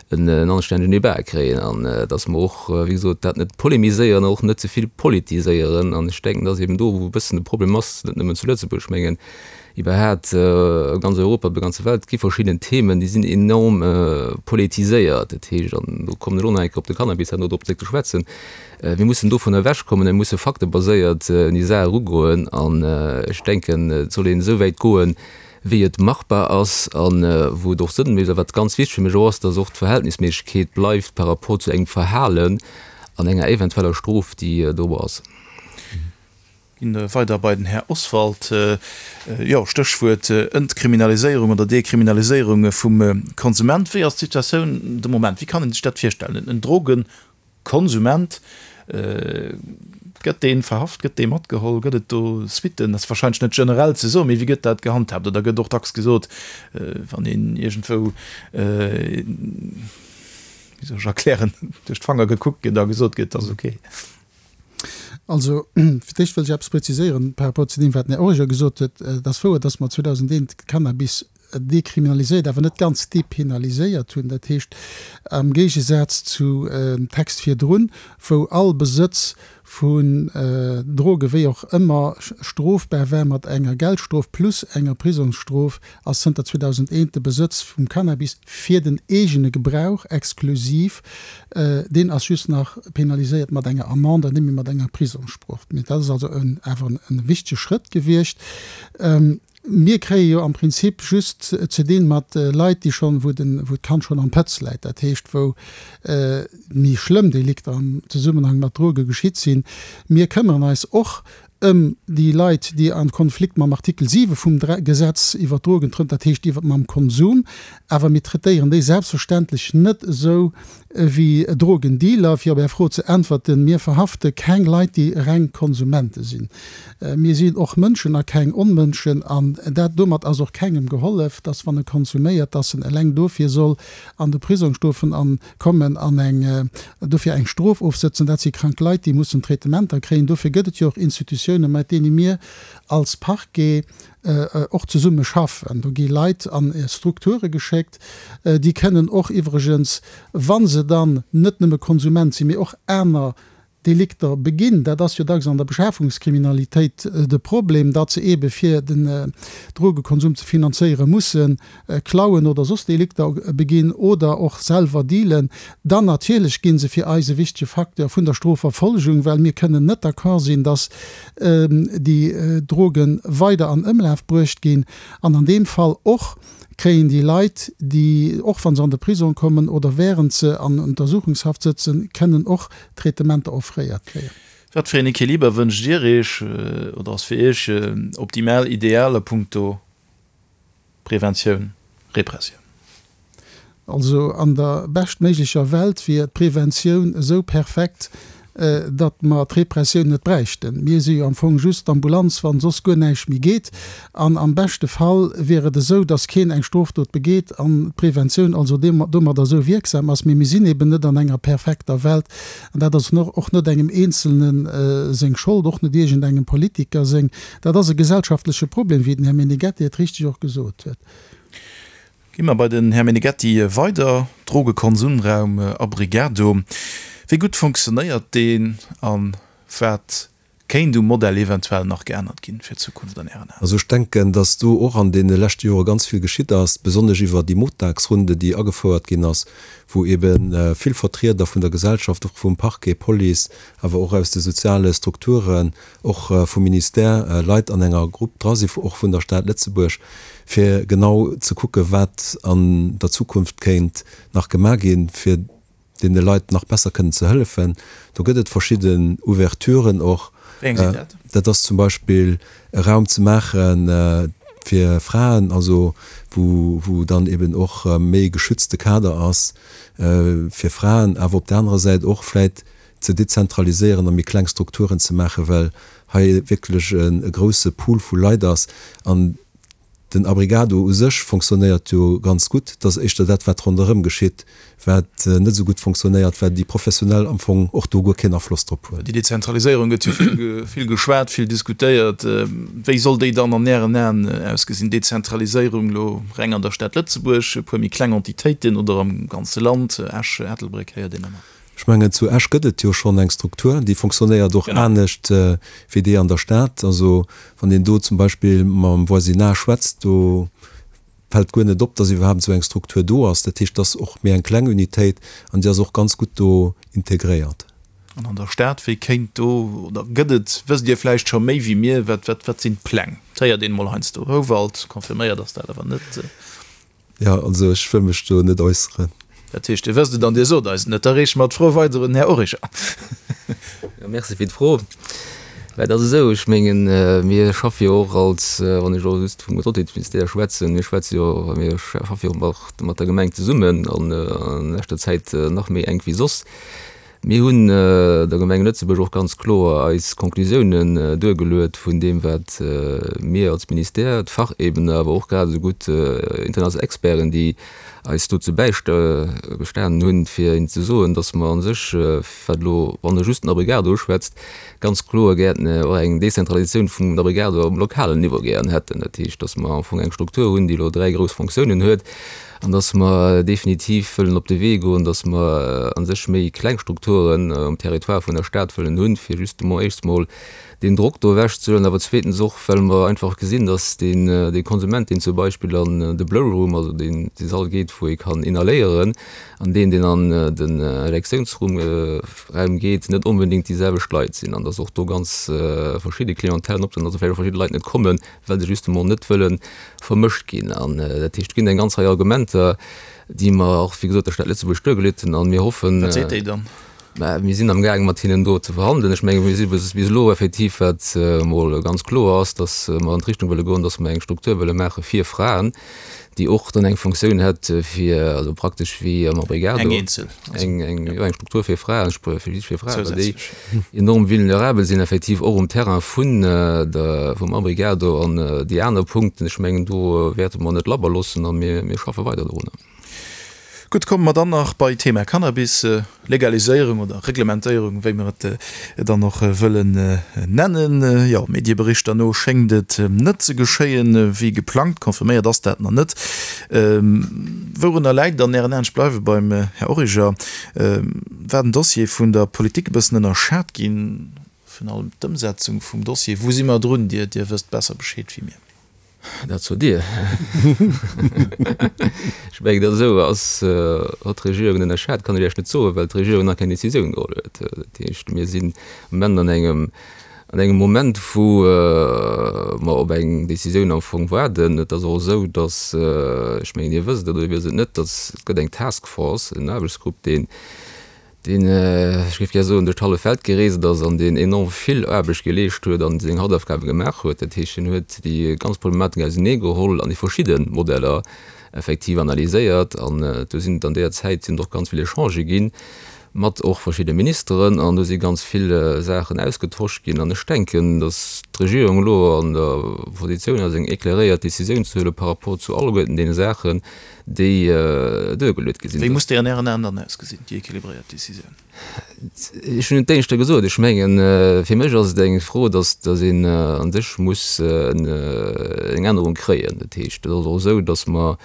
en anstännegen Débat kréien an dass mer och, wéi gesot, dat net polemiséieren an och net ze vill politiséieren. An ech denken, dat ass eben do, wou e bëssen de Problem ass, net nëmmen zu Lëtzebuerg, ech mengen iwwerhaat a ganz Europa, op der ganzer Welt gi verschidden Themen, déi sinn enorm politiséiert. Dat heescht, an do kommen ech och nach eng Kéier op de Cannabis herno drop zréck ze schwätzen, mir mussen dovun ewechkommen, mir musse faktebaséiert un déi Saach erugoen. An ech denken, et soll een esou wäit goen, wéi et machbar ass a wou et och Sënn mécht. A wat ganz wichteg fir mech och ass, dass och d'Verhältnisméissegkeet bleift par rapport zu engem Verhalen an enger eventueller Strof, déi do ass. Ginn weider bei den Här Oswald. Jo, Stéchwuert Entkriminaliséierung oder Dekriminaliséierung vum Konsument. Wéi ass d'Situatioun de Moment? Wéi kann ee sech dat virstellen? En Drogenkonsument, gëtt dee verhaft, gëtt dee matgeholl, gëtt et do Suitten? Dat ass warscheinlech net generell ze soen, mee wéi gëtt dat gehandhaabt? Oder gëtt och dacks gesot, wann een iergendwou, wéi soll ech erklären, duerch d'Fanger gekuckt gëtt a gesot gëtt, dat ass ok? Also, fir d'éischt wëll ech eppes präziséieren par rapport zu deem, wat den Här Origer gesot huet. Et ass wouer, dass mer zweedausendeent Cannabis dekriminaliséiert, awer net ganz depenaliséiert hunn. Dat heescht, am Géigesaz zu Text virdrun, wou all Besëtz vun Droge wéi och ëmmer strofbar war mat enger Geldstrof plus enger Prisongsstrof, ass zënter zweedausendeent de Besëtz vum Cannabis fir den eegene Gebrauch exklusiv, deen ass just nach penaliséiert mat enger Amende an net méi mat enger Prisongsstrof. Mee dat ass also awer e wichtege Schrëtt gewiescht. Mir kréie jo am Prinzip just ze dinn mat Leit, déi schonn, wou den, wou d'Kand schonn am Pëtz läit, dat heescht, wou méi schlëmm Delikter am Zesummenhang mat Droge geschitt sinn. Mir këmmeren eis och ëm déi Leit, déi an Konflikt mam Artikel siwe vum Gesetz iwwert d'Drogen trënn, dat heescht iwwert mam Konsum, awer mir traitéieren déi selbstverständlech net esou wéi Drogendealer. Fir op Är Fro ze äntwerten, Mir verhafte keng Leit, déi reng Konsumente sinn. Mir sinn och Mënschen a keng Onmënschen. An dat, domat ass och kengem gehollef, dass wann e konsuméiert, dass en eleng dofir soll an de Prisong stofen an kommen an eng dofir eng Strof ofsëtzen. Dat si krank Leit, déi mussen Traitementer kréien. Dofir gëtt et jo och Institutiounen, mat deene mir als Parquet och zesumme schaffen. Do gi Leit an Strukture geschéckt, déi kënnen och iwwregens, wa se dann net nëmme Konsument sinn, mee och aner Delikter beginn, dat ass jo dacks an der Beschafungskriminalitéit de Problem, datt se eebe fir den Drogekonsum ze finanzéiere musse klauen oder soss Delikter beginn oder och selwer dealen, dann natierlech gi se fir eis e wichtege Facteur vun der Strofverfolgung, well mir kënnen net d'accord sinn, datt déi Droge weider an Ëmlaf bruecht ginn an an deem Fall och kréien déi Leit, déi, och wa se an de Prisong kommen oder während se an Untersuchungshaft sëtzen, kënnen och Traitementer offréiert kréien. Wat fir een Equiliber wënscht Dir Iech oder ass fir Iech optimal, ideal a puncto Preventioun, Repressioun? Also an der beschtméiglecher Welt wier d'Preventioun esou perfekt, datt mer d'Repressioun net bräichten. Mir si jo am Fong just d'Ambulanz, wann soss guer näischt méi geet. An am beschte Fall wier et esou, datt keen eng Strofdot begeet an d'Preventioun also domadder esou wierksam ass. Mee mir sinn eben net an enger perfekter Welt. An dat ass och net engem Eenzelne seng Schold, och net iergendengem Politiker seng. Dat ass e gesellschaftleche Problem, wéi den Här Meneghetti et richteg och gesot huet. Gi mer bei den Här Meneghetti weider. Drogekonsumraum Abrigado, wéi gutt fonctionnéiert deen a wat kéint um Modell eventuell nach geännert ginn fir d'Zukunft an Ären Aen? Also ech denken, datt do och an deene leschte Jore ganz vill geschitt ass, besonnesch iwwer déi Montagsrunde, déi agefouert ginn ass, wou ebe vill Vertrieder vun der Gesellschaft, och vum Parquet, Police, awer och aus de soziale Strukturen, och vum Ministère Leit an enger Grupp dra sinn, och vun der Stad Lëtzebuerg, fir genau ze kucken, wat an der Zukunft kéint nach gemaach ginn, fir deene Leit nach besser kënnen ze hëllefen. Do gëtt et verschidden Ouverturen och. Wéi eng sinn dat? Dat ass zum Beispill e Raum ze maache fir Fraen, also wou, wou dann eben och méi geschützte Kader ass fir Fraen, awer op der anerer Säit och vläit ze dezentraliséieren a méi kleng Strukturen ze maachen, well hei wierklech e grouse Pool vu Leit ass. An den Abrigado u sech fonctionnéiert jo ganz gutt. Et ass éischter dat, wat ronderëm geschitt, wat net esou gutt fonctionnéiert, well déi Professionell am Fong och do guer keen Afloss drop hunn. Déi Dezentraliséierung gëtt jo vill geschwat, vill diskutéiert. Wéi soll déi dann an Ären Aen ausgesinn, Dezentraliséierung elo reng an der Stad Lëtzebuerg, e puer méi kleng Entitéiten oder am ganze Land, Esch, Ettelbréck héiert een ëmmer? Ech mengen, zu Esch gëtt et jo schonn eng Struktur, déi fonctionnéiert och anescht wéi déi an der Stad. Also wann een do zum Beispill mam Voisinage schwätzt, do fält guer net op, dass iwwerhaapt esou eng Struktur do ass. Dat heescht, et ass och méi eng kleng Unitéit an déi ass och ganz gutt do integréiert. An an der Stad, wéi kéint do, oder gëtt et, wësst Dir vläicht scho méi wéi mir, wat, wat, wat sinn d'Pläng? Et héiert een emol heiansdo Houwald, confirméiert ass dat awer net. Jo, also ech wëll mech do net äusseren. Dat heescht, Dir wësst et an Dir sot eis et net. Da reeche mer d'Fro weider un den Här Origer. Jo, merci fir d'Fro. Mä et ass esou, ech mengen, mir schaffe jo och als, wann ech elo just vum Gesondheetsministère schwätzen, mir schwätze jo, mir schaffe jo och mat der Gemeng zesummen an a leschter Zäit nach méi enk wéi soss. Mir hunn der Gemeng Lëtzebuerg och ganz kloer eis Conclusiounen duergeluet vun deem, wat mir als Ministère, d'Fachebene, awer och grad esou gutt international Experten, déi eis dozou bäigestanen hunn, fir hinnen ze soen, dass mer a sech, wat elo, wann Der just den Abrigado uschwätzt, ganz kloer gären och eng Dezentralisatioun vum Abrigado um lokalen Niveau gären hätten. Dat heescht, dass mer am Fong eng Struktur hunn, déi elo dräi grouss Fonctiounen huet, an dass mer definitiv wëllen op de Wee goen, dass mer a sech méi kleng Strukturen um Territoire vun der Stad wëllen hunn, fir justement éischts mol deen Drock do ewechzehuelen, awer zweetens och, well mer einfach gesinn, dass deen, dee Konsument, deen zum Beispill an de Blow Room, also deen, dee Sall geet, wou ee kann inhaléieren, an deen, deen an den Injektiounsraum Raum geet, net onbedéngt déi selwecht Leit sinn an dass och do ganz verschidde Clientèlen optrieden, dass och vläicht och verschidde Leit net kommen, well se justement net wëlle vermëscht ginn. An dat heescht, et ginn eng ganz Rei Argumenter, déi mer och, wéi gesot, der Stad Lëtzebuerg duergeluet hunn a mir hoffen, Wat seet déi dann? Mä mir sinn amgaangen, mat hinnen do ze verhandelen. Ech menge mir si bis elo effektiv, wat emol ganz kloer ass, datt mer an d'Richtung wëlle goen, datt mer eng Struktur wëlle maache fir Fraen, déi och dann eng Fonctioun hätt fir, also praktesch wéi am Abrigado. Eng eenzel. Eng, eng, jo, eng Struktur fir Fraen, spézifesch fir Fraen, well déi enorm vulnerabel sinn effektiv och um Terrain vun der, vum Abrigado. An déi aner Punkten, ech mengen, do wäerte mer net labber loossen a mir, mir schaffe weider dorunner. Gutt, komme mer dann nach bei Thema Cannabis, Legaliséierung oder Reglementéierung, wéi mer et dann och wëllen nennen. Jo, Medieberichter no schéngt et net ze geschéien, wéi geplangt. Confirméiert ass dat nach net. Wourunner läit an Ären Aen, ech bleiwe beim Här Origer, war den Dossier vun der Politik e bëssen ënnerschat ginn, virun allem d'Ëmsetzung vum Dossier? Wou si mer drun? Dir wësst besser Bescheed wéi mir. Dat sot Dir. Ech mengen, datt esou ass. Hatt d'Regierung ënnerschat, kann ech Iech net soen, well d'Regierung nach keng Décisioun geholl huet. Dat heescht, mir sinn am Moment an engem, an engem Moment, wou mer op eng Décisioun am Fong waarden. Et ass och esou, datt, ech mengen, Dir wësst et oder Dir wësst et net, datt et gëtt eng Task Force, en Aarbechtsgrupp, deen, deen, ech géif gär soen, duerch d'hallef Welt gereest ass an deen enorm vill Aarbecht geleescht huet an seng Hausaufgabe gemaach huet. Dat heescht, hien huet déi ganz Problematik auseneegeholl an déi verschidde Modeller effektiv analyséiert. An do sinn et an deeër Zäit sinn et och ganz vill Echangë ginn mat och verschidde Ministeren an do si ganz vill Saachen ausgetosch ginn. An ech denken, datt d'Regierung elo an der Positioun ass, eng éclairéiert Décisioun ze huele par rapport zu alleguerten deene Saachen, déi duergeluet gi sinn. Wéi muss déi an Ären Aen dann ausgesinn, déi équilibréiert Décisioun? Ech hunn et d'éischter gesot. Ech mengen, fir mech ass et eng Fro, datt datt een a sech muss eng Ännerung kréien. Dat heescht, et ass och esou, datt mer,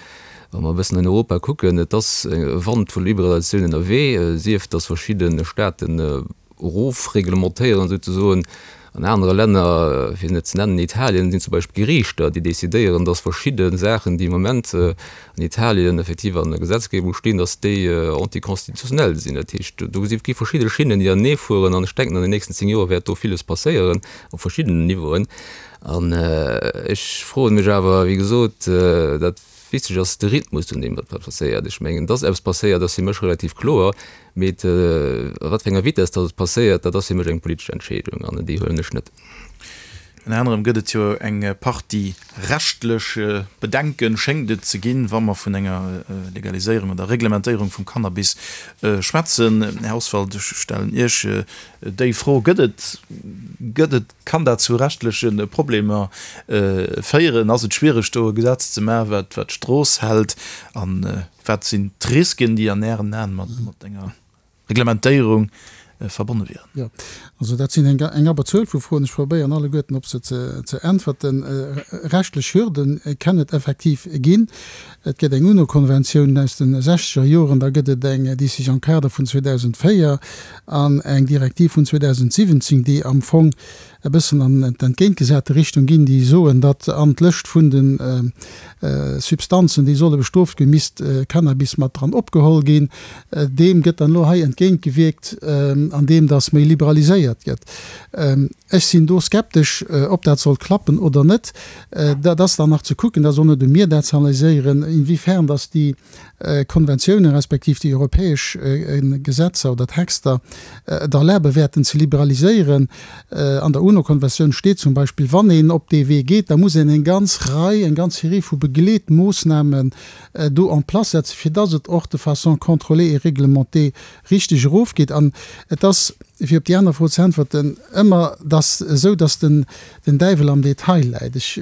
wa mer e bëssen an Europa kucken, et ass e Wand vu Liberalisatioun ënnerwee, sief datt verschidde Staaten erofreglementéieren souzesoen. An anere Länner, fir net ze nennen Italien, sinn zum Beispill Geriichter, déi decidéieren, dass verschidde Saachen, déi am Moment an Italien effektiv an der Gesetzgebung stinn, dass déi anticonstitutionnel sinn. Dat heescht, do si gi verschidde Schinnen, déi anenee fueren. An ech denken, an den nächsten zéng Joer wäert do villes passéieren op verschiddenen Niveauen. An ech froe mech awer, wéi gesot, dat Wichteg ass de Rhythmus, un deem dat passéiert. Ech mengen, dass eppes passéiert, ass fir mech relativ kloer. Mee a wat fir enger Vitess dass et passéiert, dat ass fir mech eng politesch Entscheedung an déi huelen ech net. Ënner anerem gëtt et jo eng Partie rechtlech Bedenken, schéngt et ze ginn, wa mer vun enger Legaliséierung oder Reglementéierung vum Cannabis schwätzen. Här Oswald, ech stellen Iech déi Fro, Gëtt et, gëtt et, kann dat zu rechtleche Problemer féieren? Ass et schwiereg, do e Gesetz ze maachen, wat, wat d'Strooss hält? An wat sinn d'Risken, déi an Ären Aen mat enger Reglementéierung verbonne wieren? Jo, also dat sinn eng eng Abberzuel vu Froen. Ech probéieren alleguerten op se ze ze äntwerten. Rechtlech Hürden kann et effektiv ginn. Et gëtt eng UNO-Konventioun aus de sechzeger Joren, da gëtt et eng Décision-cadre vun zweedausendvéier an eng Direktiv vun zweedausendsiwwenzéng, déi am Fong e bëssen an d'entgéintgesate Richtung ginn, déi soen, datt an d'Lëscht vun de Substanzen, déi solle bestrooft ginn, misst Cannabis mat dran opgeholl ginn. Deem gëtt dann elo hei entgéintgewierkt, andeem datt méi liberaliséiert gëtt. Ech sinn do skeptesch, ob dat soll klappen oder net. Dat ass dann nach ze kucken, dat ass och net u mir, dat ze analyséieren, inwiefern datt déi Konventiounen respektiv déi europäesch Gesetzer oder Texter et erlabe wäerten ze liberaliséieren. An der UNO-Konventioun steet zum Beispill, wann een op dee Wee geet, da muss een eng ganz Rei, eng ganz Serie vu Begleetmoossnamen do en place setzen, fir dass et och de façon contrôlée et réglementée richteg erofgeet. An et ass, fir op déi aner Fro ze äntwerten, ëmmer dass esou, dass den Däiwel am Detail läit. Ech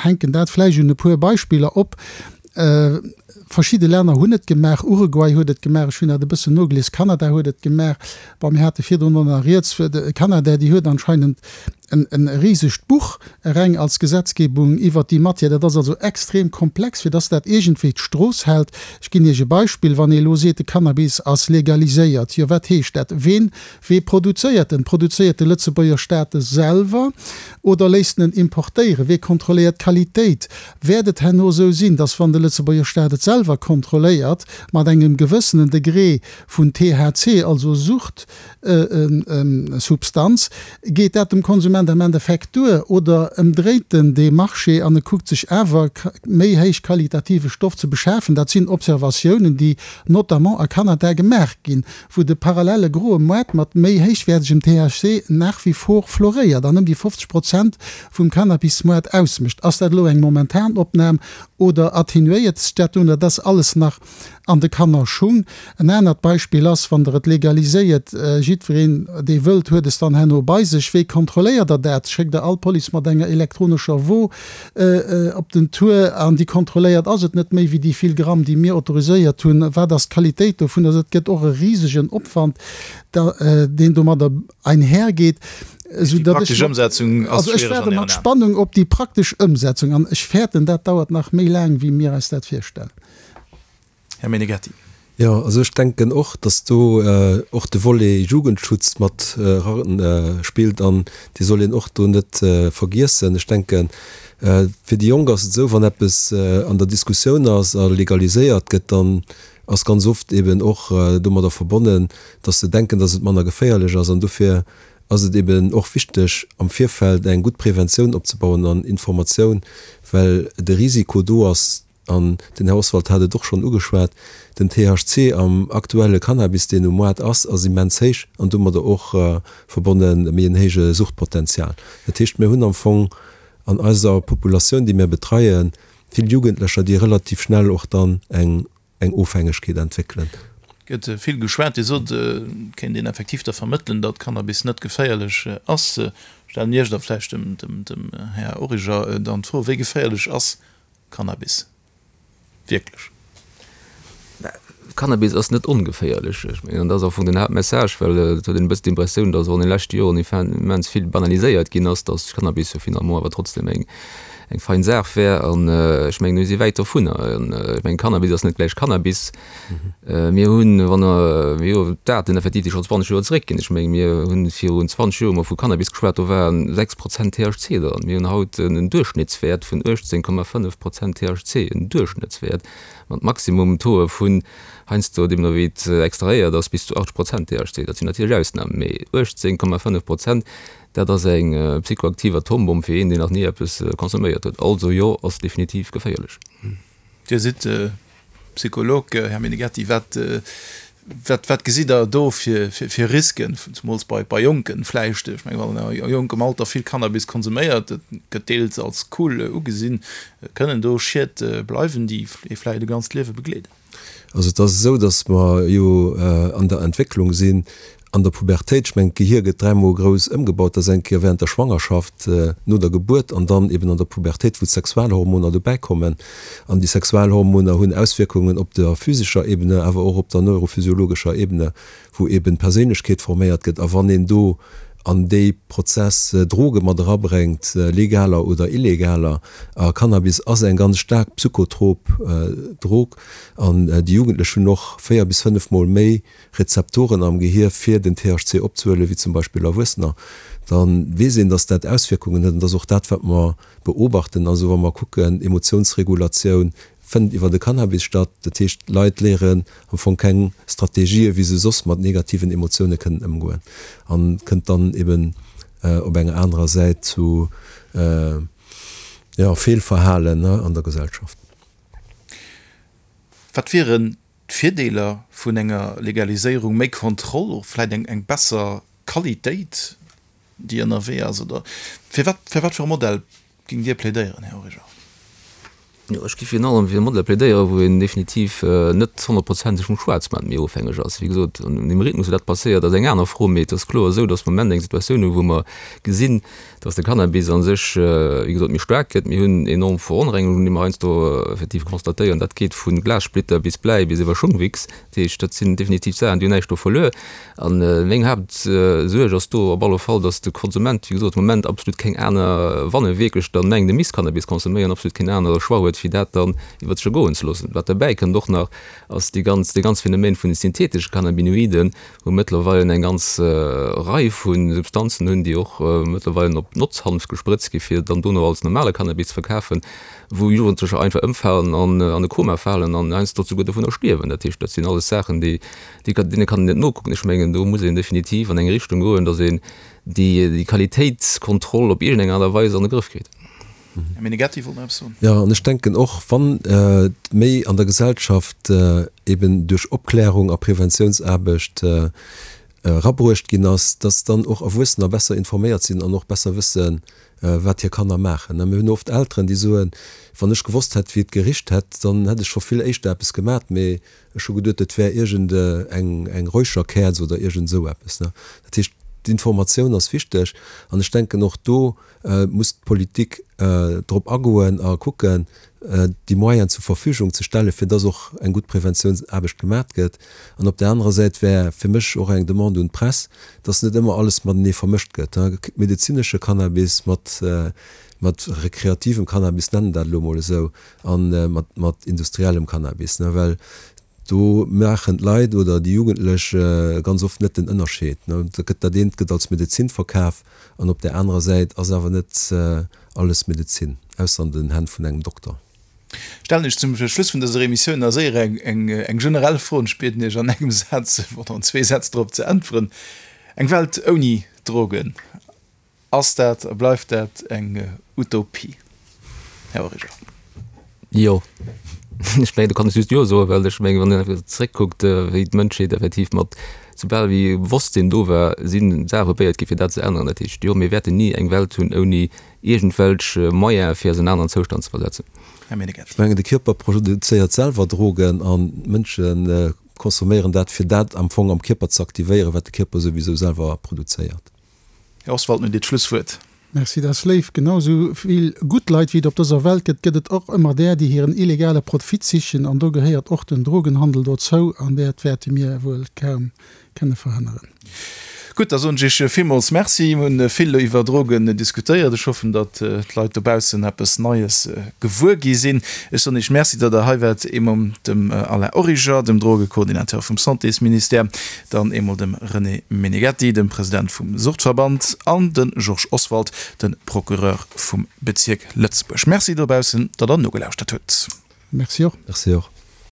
hänken dat vläicht un e puer Beispiller op. Verschidde Länner hunn et gemaach, Uruguay huet et gemaach, ech hunn dat e bëssen nogelies, Kanada huet et gemaach, bon, mir hate virdrun och nach rieds, Kanada, déi huet anscheinend en e risegt Buch reng als Gesetzgebung iwwert déi Matière. Dat ass also extrem komplex, fir dass dat iergendwéi d'Strooss hält. Ech ginn Iech e Beispill, Wann ee elo seet, de Cannabis ass legaliséiert, jo wat heescht dat? Ween, wee produzéiert en? Produzéiert de Lëtzebuerger Staat e selwer oder léisst en en importéieren? Wee kontrolléiert d'Qualitéit? Wäert et herno esou sinn, dass wann de Lëtzebuerger Staat et selwer kontrolléiert, mat engem gewëssenen Degré vun T H C, also Suchtsubstanz, geet dat dem Konsument am Endeffekt duer oder ëmdréit en dee Marché an e kuckt sech awer méi héich qualitative Stoff ze beschafen? Dat sinn Observatiounen, déi notamment a Kanada gemaach ginn, wou de parallele groe Moart mat méi héichwäertegem T H C nach wie vor floréiert an ëm déi fofzeg Prozent vum Cannabismoart ausmécht. Ass dat elo eng momentan Opnam oder attenuéiert sech dat dunn? Dat ass alles nach an de Kannerschung. En anert Beispill ass, wann Der et legaliséiert, jiddwereen, dee wëllt, huet es dann herno bei sech. Wéi kontrolléiert Der dat? Schéckt Der all d'Police mat enger elektronescher Wo op den Tour an déi kontrolléiert, ass et net méi wéi déi vill Gramm, déi mir autoriséiert hunn? Wat ass d'Qualitéit dovun? Also et gëtt och e risegen Opwand, deen domadder einhergeet, esou datt ech, also ech waarde mat Spannung op déi praktesch Ëmsetzung an ech fäerten, dat dauert nach méi laang, wéi mir eis dat virstellen. Här Meneghetti. Jo, also ech denken och, datt do och de Volet Jugendschutz mat eraspillt an dee soll een och do net vergiessen. Ech denken, fir déi Jonk ass et esou, wann eppes an der Diskussioun ass a legaliséiert gëtt, dann ass ganz oft eben och domadder verbonnen, datt se denken, datt et manner geféierlech ass. An dofir ass et eben och wichteg, am Virfeld eng gutt Preventioun opzebauen an Informatioun, well de Risiko do ass, an den Här Oswald hat et och schonn ugeschwat, den T H C am aktuelle Cannabis, deen um Moart ass, ass immens héich an domadder och verbonne méi en héije Suchtpotenzial. Dat heescht, mir hunn am Fong an eiser Populatioun, déi mir betreien, vill Jugendlecher, déi relativ schnell och dann eng eng Ofhängegkeet entwéckelen. Gëtt vill geschwat. Dir sot, et kéint een effektiv da vermëttelen, datt Cannabis net geféierlech ass. Stellen Iech da vläicht dem, dem, dem Här Origer dann d'Fro, Wéi geféierlech ass Cannabis wierklech? Cannabis ass net ongeféierlech. Ech mengen, an dat ass am Fong den Haaptmessage, well et huet een e bëssen d'Impressioun, datt och an de leschte Joren immens vill banaliséiert ginn ass, datt Cannabis jo finalement awer trotzdem eng eng fein Saach wär. An ech mengen, mir si wäit dovunner. An ech mengen, Cannabis ass net gläich Cannabis. Mir hunn, wann Der, jo, d'Daten effektiv, déi schonn zwanzeg Joer zeréckginn, ech mengen, mir hunn virun zwanzeg Joer emol vu Cannabis geschwat, do waren sechs Prozent T H C dran. Mir hunn haut en Duerchschnittswäert vun uechtzéng Komma fënnef Prozent T H C, en Duerchschnëttswäert mat Maximum-Tauxe vun heiansdo, deemno wéi et extrahéiert ass, bis zu achtzeg Prozent T H C. Dat sinn natierlech Ausnamen, mee uechtzéng Komma fënnef Prozent, dat ass eng psychoaktiv Atombomm fir een, deen nach ni eppes consomméiert huet. Also jo, ass definitiv geféierlech. Dir sidd Psycholog, Här Meneghetti. Wat, wat, wat gesitt Der do fir, fir, fir Risken, zemools bei, bei Jonken vläicht? Ech mengen, wann een a jonkem Alter vill Cannabis konsuméiert, dat gëtt deels als cool ugesinn, kënnen do Schied bleiwen, déi ee vläicht e ganzt Liewe begleeden? Also et ass esou, datt mer jo an der Entwécklung sinn, an der Pubertéit. Ech mengen, d'Gehier gëtt dräimol grouss ëmgebaut, dat ass eng Kéier während der Schwangerschaft, no der Gebuert an dann eben an der Pubertéit, wou d'Sexualhormoner dobäikommen. An déi Sexualhormoner hunn Auswierkungen op der physescher Ebene, awer och op der neurophysiologescher Ebene, wou eben d'Perséinlechkeet forméiert gëtt. A wann een do an dee Prozess Droge mat erabréngt, legaler oder illegaler, a Cannabis ass eng ganz staark psychotrop Drog, an déi Jugendlech hunn och véier bis fënnef Mol méi Rezeptoren am Gehier fir den T H C opzehuelen, wéi zum Beispill Erwuessener, da weess een, datt dat Auswierkungen huet. An dat ass och dat, wat mer beobachten. Also wa mer kucken, Emotiounsregulatioun fënnt iwwer de Cannabis statt. Dat heescht, d'Leit léieren am Fong keng Strategië wéi se soss mat negativen Emotioune kënnen ëmgoen an kënnt dann eben op enger anerer Säit zu, jo, Feelverhalen an der Gesellschaft. Wat wieren d'Virdeeler vun enger Legaliséierung? Méi Kontroll, och vläit eng besser Qualitéit? déi ënnerwee ass? Oder fir wat, fir wat fir e Modell géingt Dir plädéieren, Här Origer? Jo, ech géif virun allem fir e Modell plädéieren, wou een definitiv net honnertprozenteg vum Schwaarzmaart méi ofhängeg ass. Wéi gesot, an deem Rhythmus, wou dat passéiert, ass eng aner Fro, mee et ass kloer esou, dass mer am Moment eng Situatioun hunn, wou mer gesinn, dass de Cannabis a sech, wéi gesot, méi staark gëtt. Mir hunn enorm Veronrengungen, déi mer heiansdo effektiv constatéieren. Dat geet vu Glassplitter bis Bläi bis iwwer Schungwichs. Dat heescht, dat sinn definitiv Saachen, déi hunn näischt do verluer. A meng Haaptsuerg ass do op alle Fall, dass de Konsument, wéi gesot, am Moment absolut keng aner, wann e wierklech dann mengt, e misst Cannabis consomméieren, absolut keen anere Choix huet, wéi dat dann iwwer sech ergoen ze loossen. Wat derbäi kënnt och nach, ass déi ganz, dee ganz Phänomen vun de syntheetesche Cannabinoiden, wou mëttlerweilen eng ganz Rei vu Substanzen hunn, déi och mëttlerweilen op Notzhanf gesprëtzt gi fir dann dono als normale Cannabis ze verkafen, wou Jugendlecher einfach ëmfalen an an e Koma falen an heiansdo souguer dovunner stierwen. Dat heescht, dat sinn alles Saachen, déi, déi, deene kann een net nokucken. Ech mengen, do muss een definitiv an eng Richtung goen, datt een déi, déi Qualitéitskontroll op iergendeng Aart a Weis an de Grëff kritt. Här Meneghetti wollt nach eppes soen. Jo, an ech denken och, wann méi an der Gesellschaft eben duerch Opklärung a Preventiounsaarbecht erabruecht ginn ass, dass dann och Erwuessener besser informéiert sinn an och besser wëssen, wat hir Kanner maachen. Mir hunn oft Elteren, déi soen, Wann ech gewosst hätt, wéi et gericht hätt, dann hätt ech scho vill éischter eppes gemat, mee ech hu geduet, et wär iergend eng eng Räucherkäerz oder iergend esou eppes. Dat heescht, d'Informatioun ass wichteg an ech denken, och do muss d'Politik drop agoen a kucken, déi Moyenen zur Verfügung ze stellen, fir dass och eng gutt Preventiounsaarbecht gemat gëtt. An op där anerer Säit wär fir mech och eng Demande un d'Press, dass net ëmmer alles matenee vermëscht gëtt, medezinesche Cannabis mat mat rekreativem Cannabis, nennen dat elo emol esou, a mat mat industriellem Cannabis, well do maachen d'Leit oder déi Jugendlech ganz oft net den Ënnerscheed. Da gëtt dat eent gëtt als Medezin verkaf an op där anerer Säit ass awer net alles Medezin, ausser an den Hänn vun engem Dokter. Stellen ech zum Schluss vun dëser Emissioun nach séier eng eng generell Fro an ech bieden Iech an engem Saz oder an zwee Sätz drop ze äntweren. Eng Welt ouni Drogen, ass dat a bleift dat eng Utopie, Här Origer? Jo, ech mengen, do kann ech just Jo soen, well ech mengen, wann een einfach zréckkuckt, wéi d'Mënschheet effektiv mat, soubal wéi Bewosstsinn do war, si Saache probéiert gi fir dat ze änneren. Dat heescht, jo, mir wäerten ni eng Welt hunn ouni iergendwelch Moyene fir eis an en aneren Zoustand ze versetzen. Här Meneghetti. Ech mengen, de Kierper produzéiert selwer Drogen an d'Mënsche consomméieren dat, fir dat am Fong am Kierper ze aktivéieren, wat de Kierper souwisou selwer produzéiert. Här Oswald, nun Dir d'Schlusswuert. Merci, dat ass léif. Genau sou vill gutt Leit wéi et op dëser Welt gëtt, gëtt et och ëmmer där, déi hiren illegale Profit sichen. An do gehéiert och den Drogenhandel dozou. An dat wäerte mir wuel kaum kënne verhënneren. Gutt, da soen ech Iech villmools Merci. Mir hunn vill iwwer Drogen diskutéiert. Ech hoffen, datt d'Leit dobaussen eppes Neies gewuer gi sinn. Ech soen Iech Merci, datt Der hei waart, eemol dem Alain Origer, dem Drogekoordinateur vum Santésministère, dann eemol dem René Meneghetti, dem President vum Suchtverband, an de Georges Oswald, de Procureur vum Bezierk Lëtzebuerg. Merci dobaussen, datt Der nogelauschtert hutt. Merci och. Merci och.